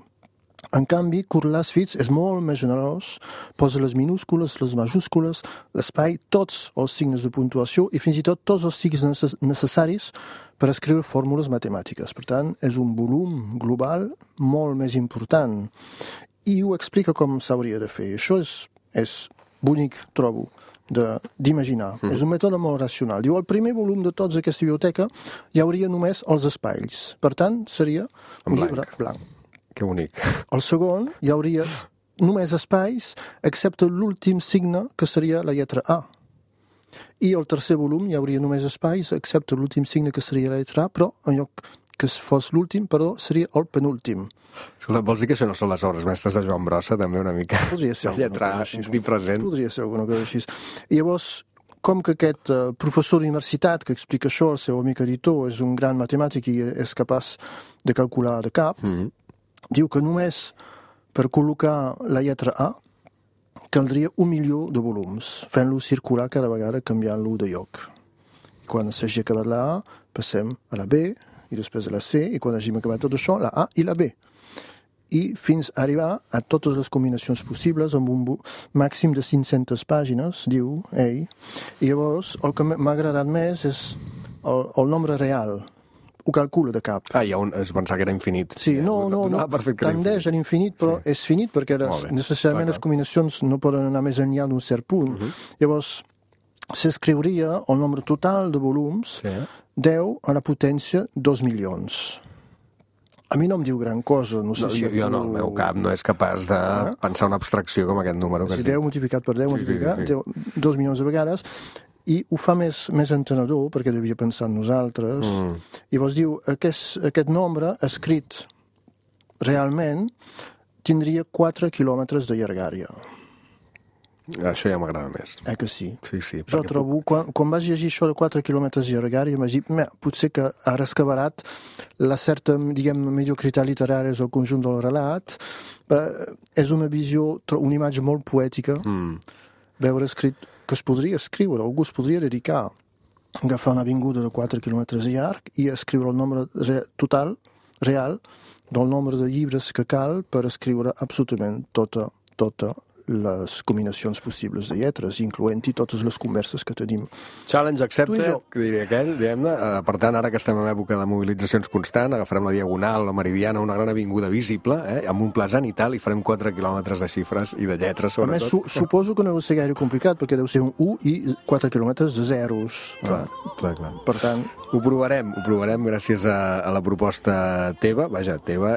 Speaker 7: En canvi, Kurt Laswitz és molt més generós, posa les minúscules, les majúscules, l'espai, tots els signes de puntuació i fins i tot tots els signes necessaris per escriure fórmules matemàtiques. Per tant, és un volum global molt més important i ho explica com s'hauria de fer. Això és bonic, trobo, d'imaginar. És un mètode molt racional. Diu, al primer volum de tota aquesta biblioteca hi hauria només els espais. Per tant, seria un llibre blanc.
Speaker 1: Que bonic.
Speaker 7: Al segon hi hauria només espais, excepte l'últim signe, que seria la lletra A. I al tercer volum hi hauria només espais, excepte l'últim signe, que seria la lletra A, però en lloc que fos l'últim, però seria el penúltim.
Speaker 1: Escolta, vols dir que això no són les obres mestres de Joan Brossa, també una mica?
Speaker 7: Podria ser
Speaker 1: la lletra A present.
Speaker 7: Podria ser alguna cosa així. I llavors, com que aquest professor d'universitat que explica això, el seu amic editor, és un gran matemàtic i és capaç de calcular de cap, diu que només per col·locar la lletra A caldria 1 milió de volums, fent-lo circular cada vegada canviant-lo de lloc. Quan s'hagi acabat la A, passem a la B, i després a la C, i quan hàgim acabat tot això, la A i la B. I fins a arribar a totes les combinacions possibles amb un màxim de 500 pàgines, diu ell. I llavors, el que m'ha agradat més és el nombre real. Ho calcula de cap.
Speaker 1: Es pensava que era infinit.
Speaker 7: Sí, no, tendeix a l'infinit, però és finit perquè necessàriament les combinacions no poden anar més enllà d'un cert punt. Llavors, s'escriuria el nombre total de volums 10 a la potència 2 milions. A mi no em diu gran cosa. No sé si
Speaker 1: jo no, el meu cap no és capaç de pensar una abstracció com aquest número.
Speaker 7: Si 10 multiplicat per 10 multiplicat 2 milions de vegades. I ho fa més entenedor, perquè devia pensar en nosaltres. I llavors diu, aquest nombre, escrit realment, tindria 4 quilòmetres de llargària.
Speaker 1: Això ja m'agrada més.
Speaker 7: Que sí?
Speaker 1: Sí.
Speaker 7: Jo trobo, quan vas llegir això de 4 quilòmetres de llargària, m'has dit, potser que ha rescabarat la certa, diguem, mediocritat literària del conjunt del relat. És una visió, una imatge molt poètica, veure escrit que es podria escriure, algú es podria dedicar a agafar una avinguda de 4 quilòmetres de llarg i escriure el nombre total, real, del nombre de llibres que cal per escriure absolutament tota les combinacions possibles de lletres, incloent-hi totes les converses que tenim.
Speaker 1: Challenge accepted, que diria aquell, diguem-ne. Per tant, ara que estem en època de mobilitzacions constant, agafarem la Diagonal, la Meridiana, una gran avinguda visible, amb un pla zenital, i farem 4 quilòmetres de xifres i de lletres, sobretot.
Speaker 7: A més, suposo que no deu ser gaire complicat, perquè deu ser un 1 i 4 quilòmetres de zeros.
Speaker 1: Clar.
Speaker 7: Per tant...
Speaker 1: Ho provarem gràcies a la proposta teva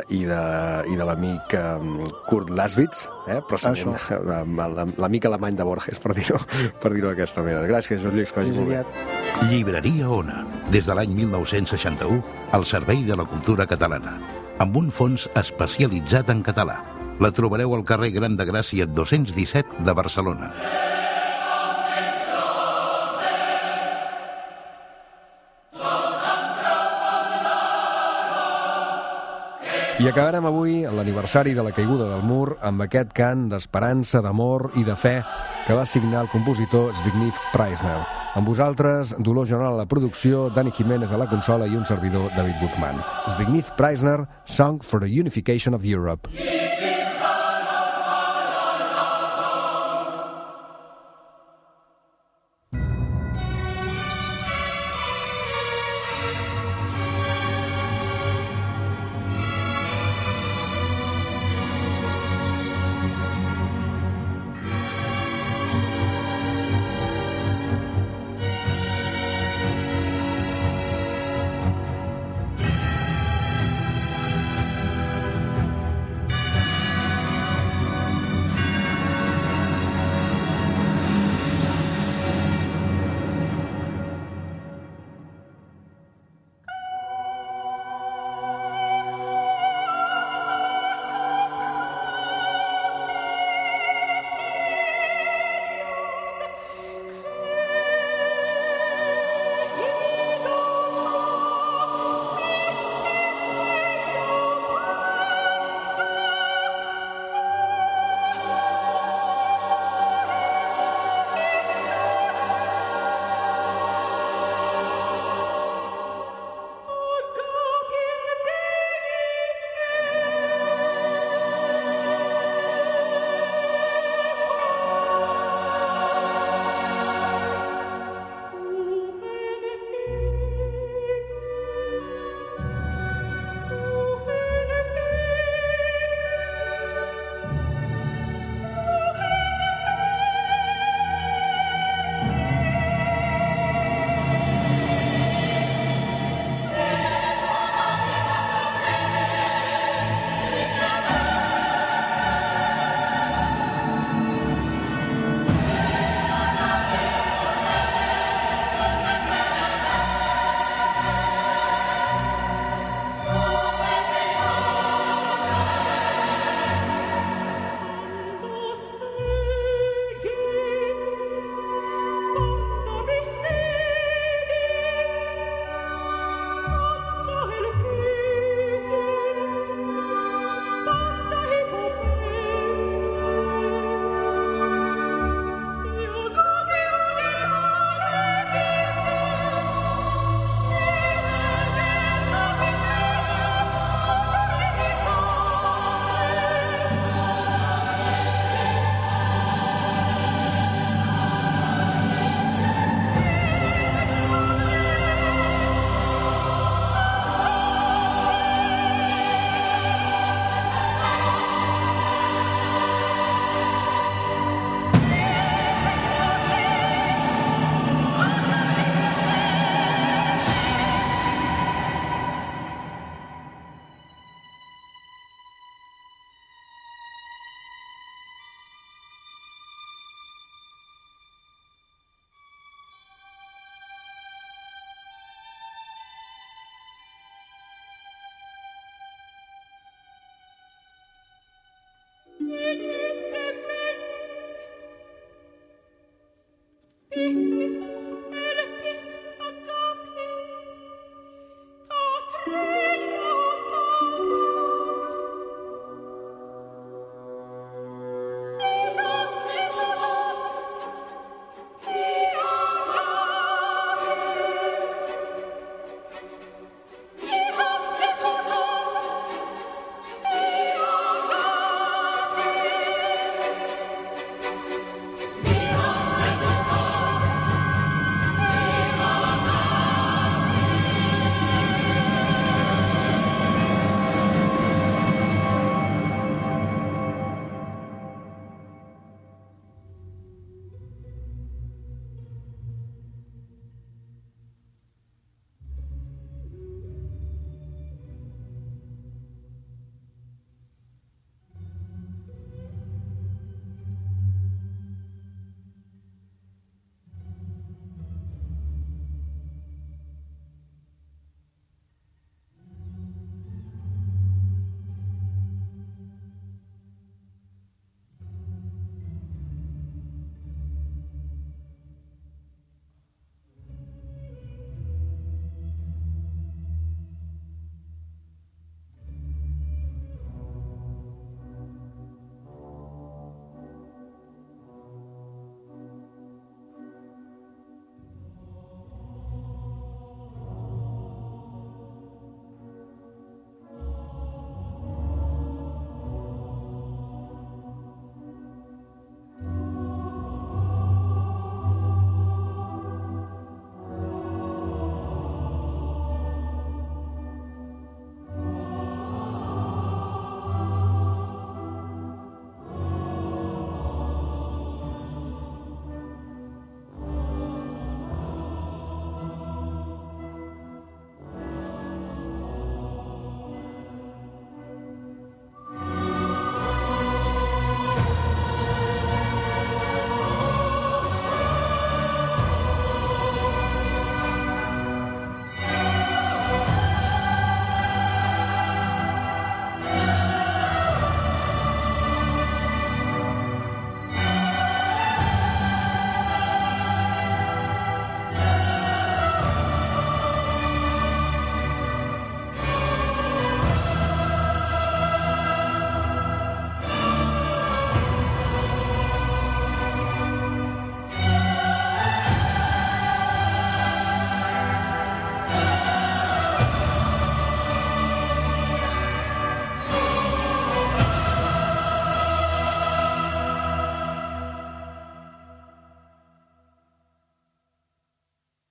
Speaker 1: i de l'amic Kurt Laswitz, procedent l'amic alemany de Borges, per dir-ho d'aquesta manera. Gràcies, Joan Lluís, que vagi molt bé.
Speaker 2: Llibreria Ona, des de l'any 1961, al servei de la cultura catalana, amb un fons especialitzat en català. La trobareu al carrer Gran de Gràcia 217 de Barcelona.
Speaker 1: I acabarem avui l'aniversari de la caiguda del mur amb aquest cant d'esperança, d'amor i de fe que va signar el compositor Zbigniew Preisner. Amb vosaltres, Dolors General a la producció, Dani Jiménez a la consola i un servidor, David Guzmán. Zbigniew Preisner, Song for the Unification of Europe.
Speaker 8: Ich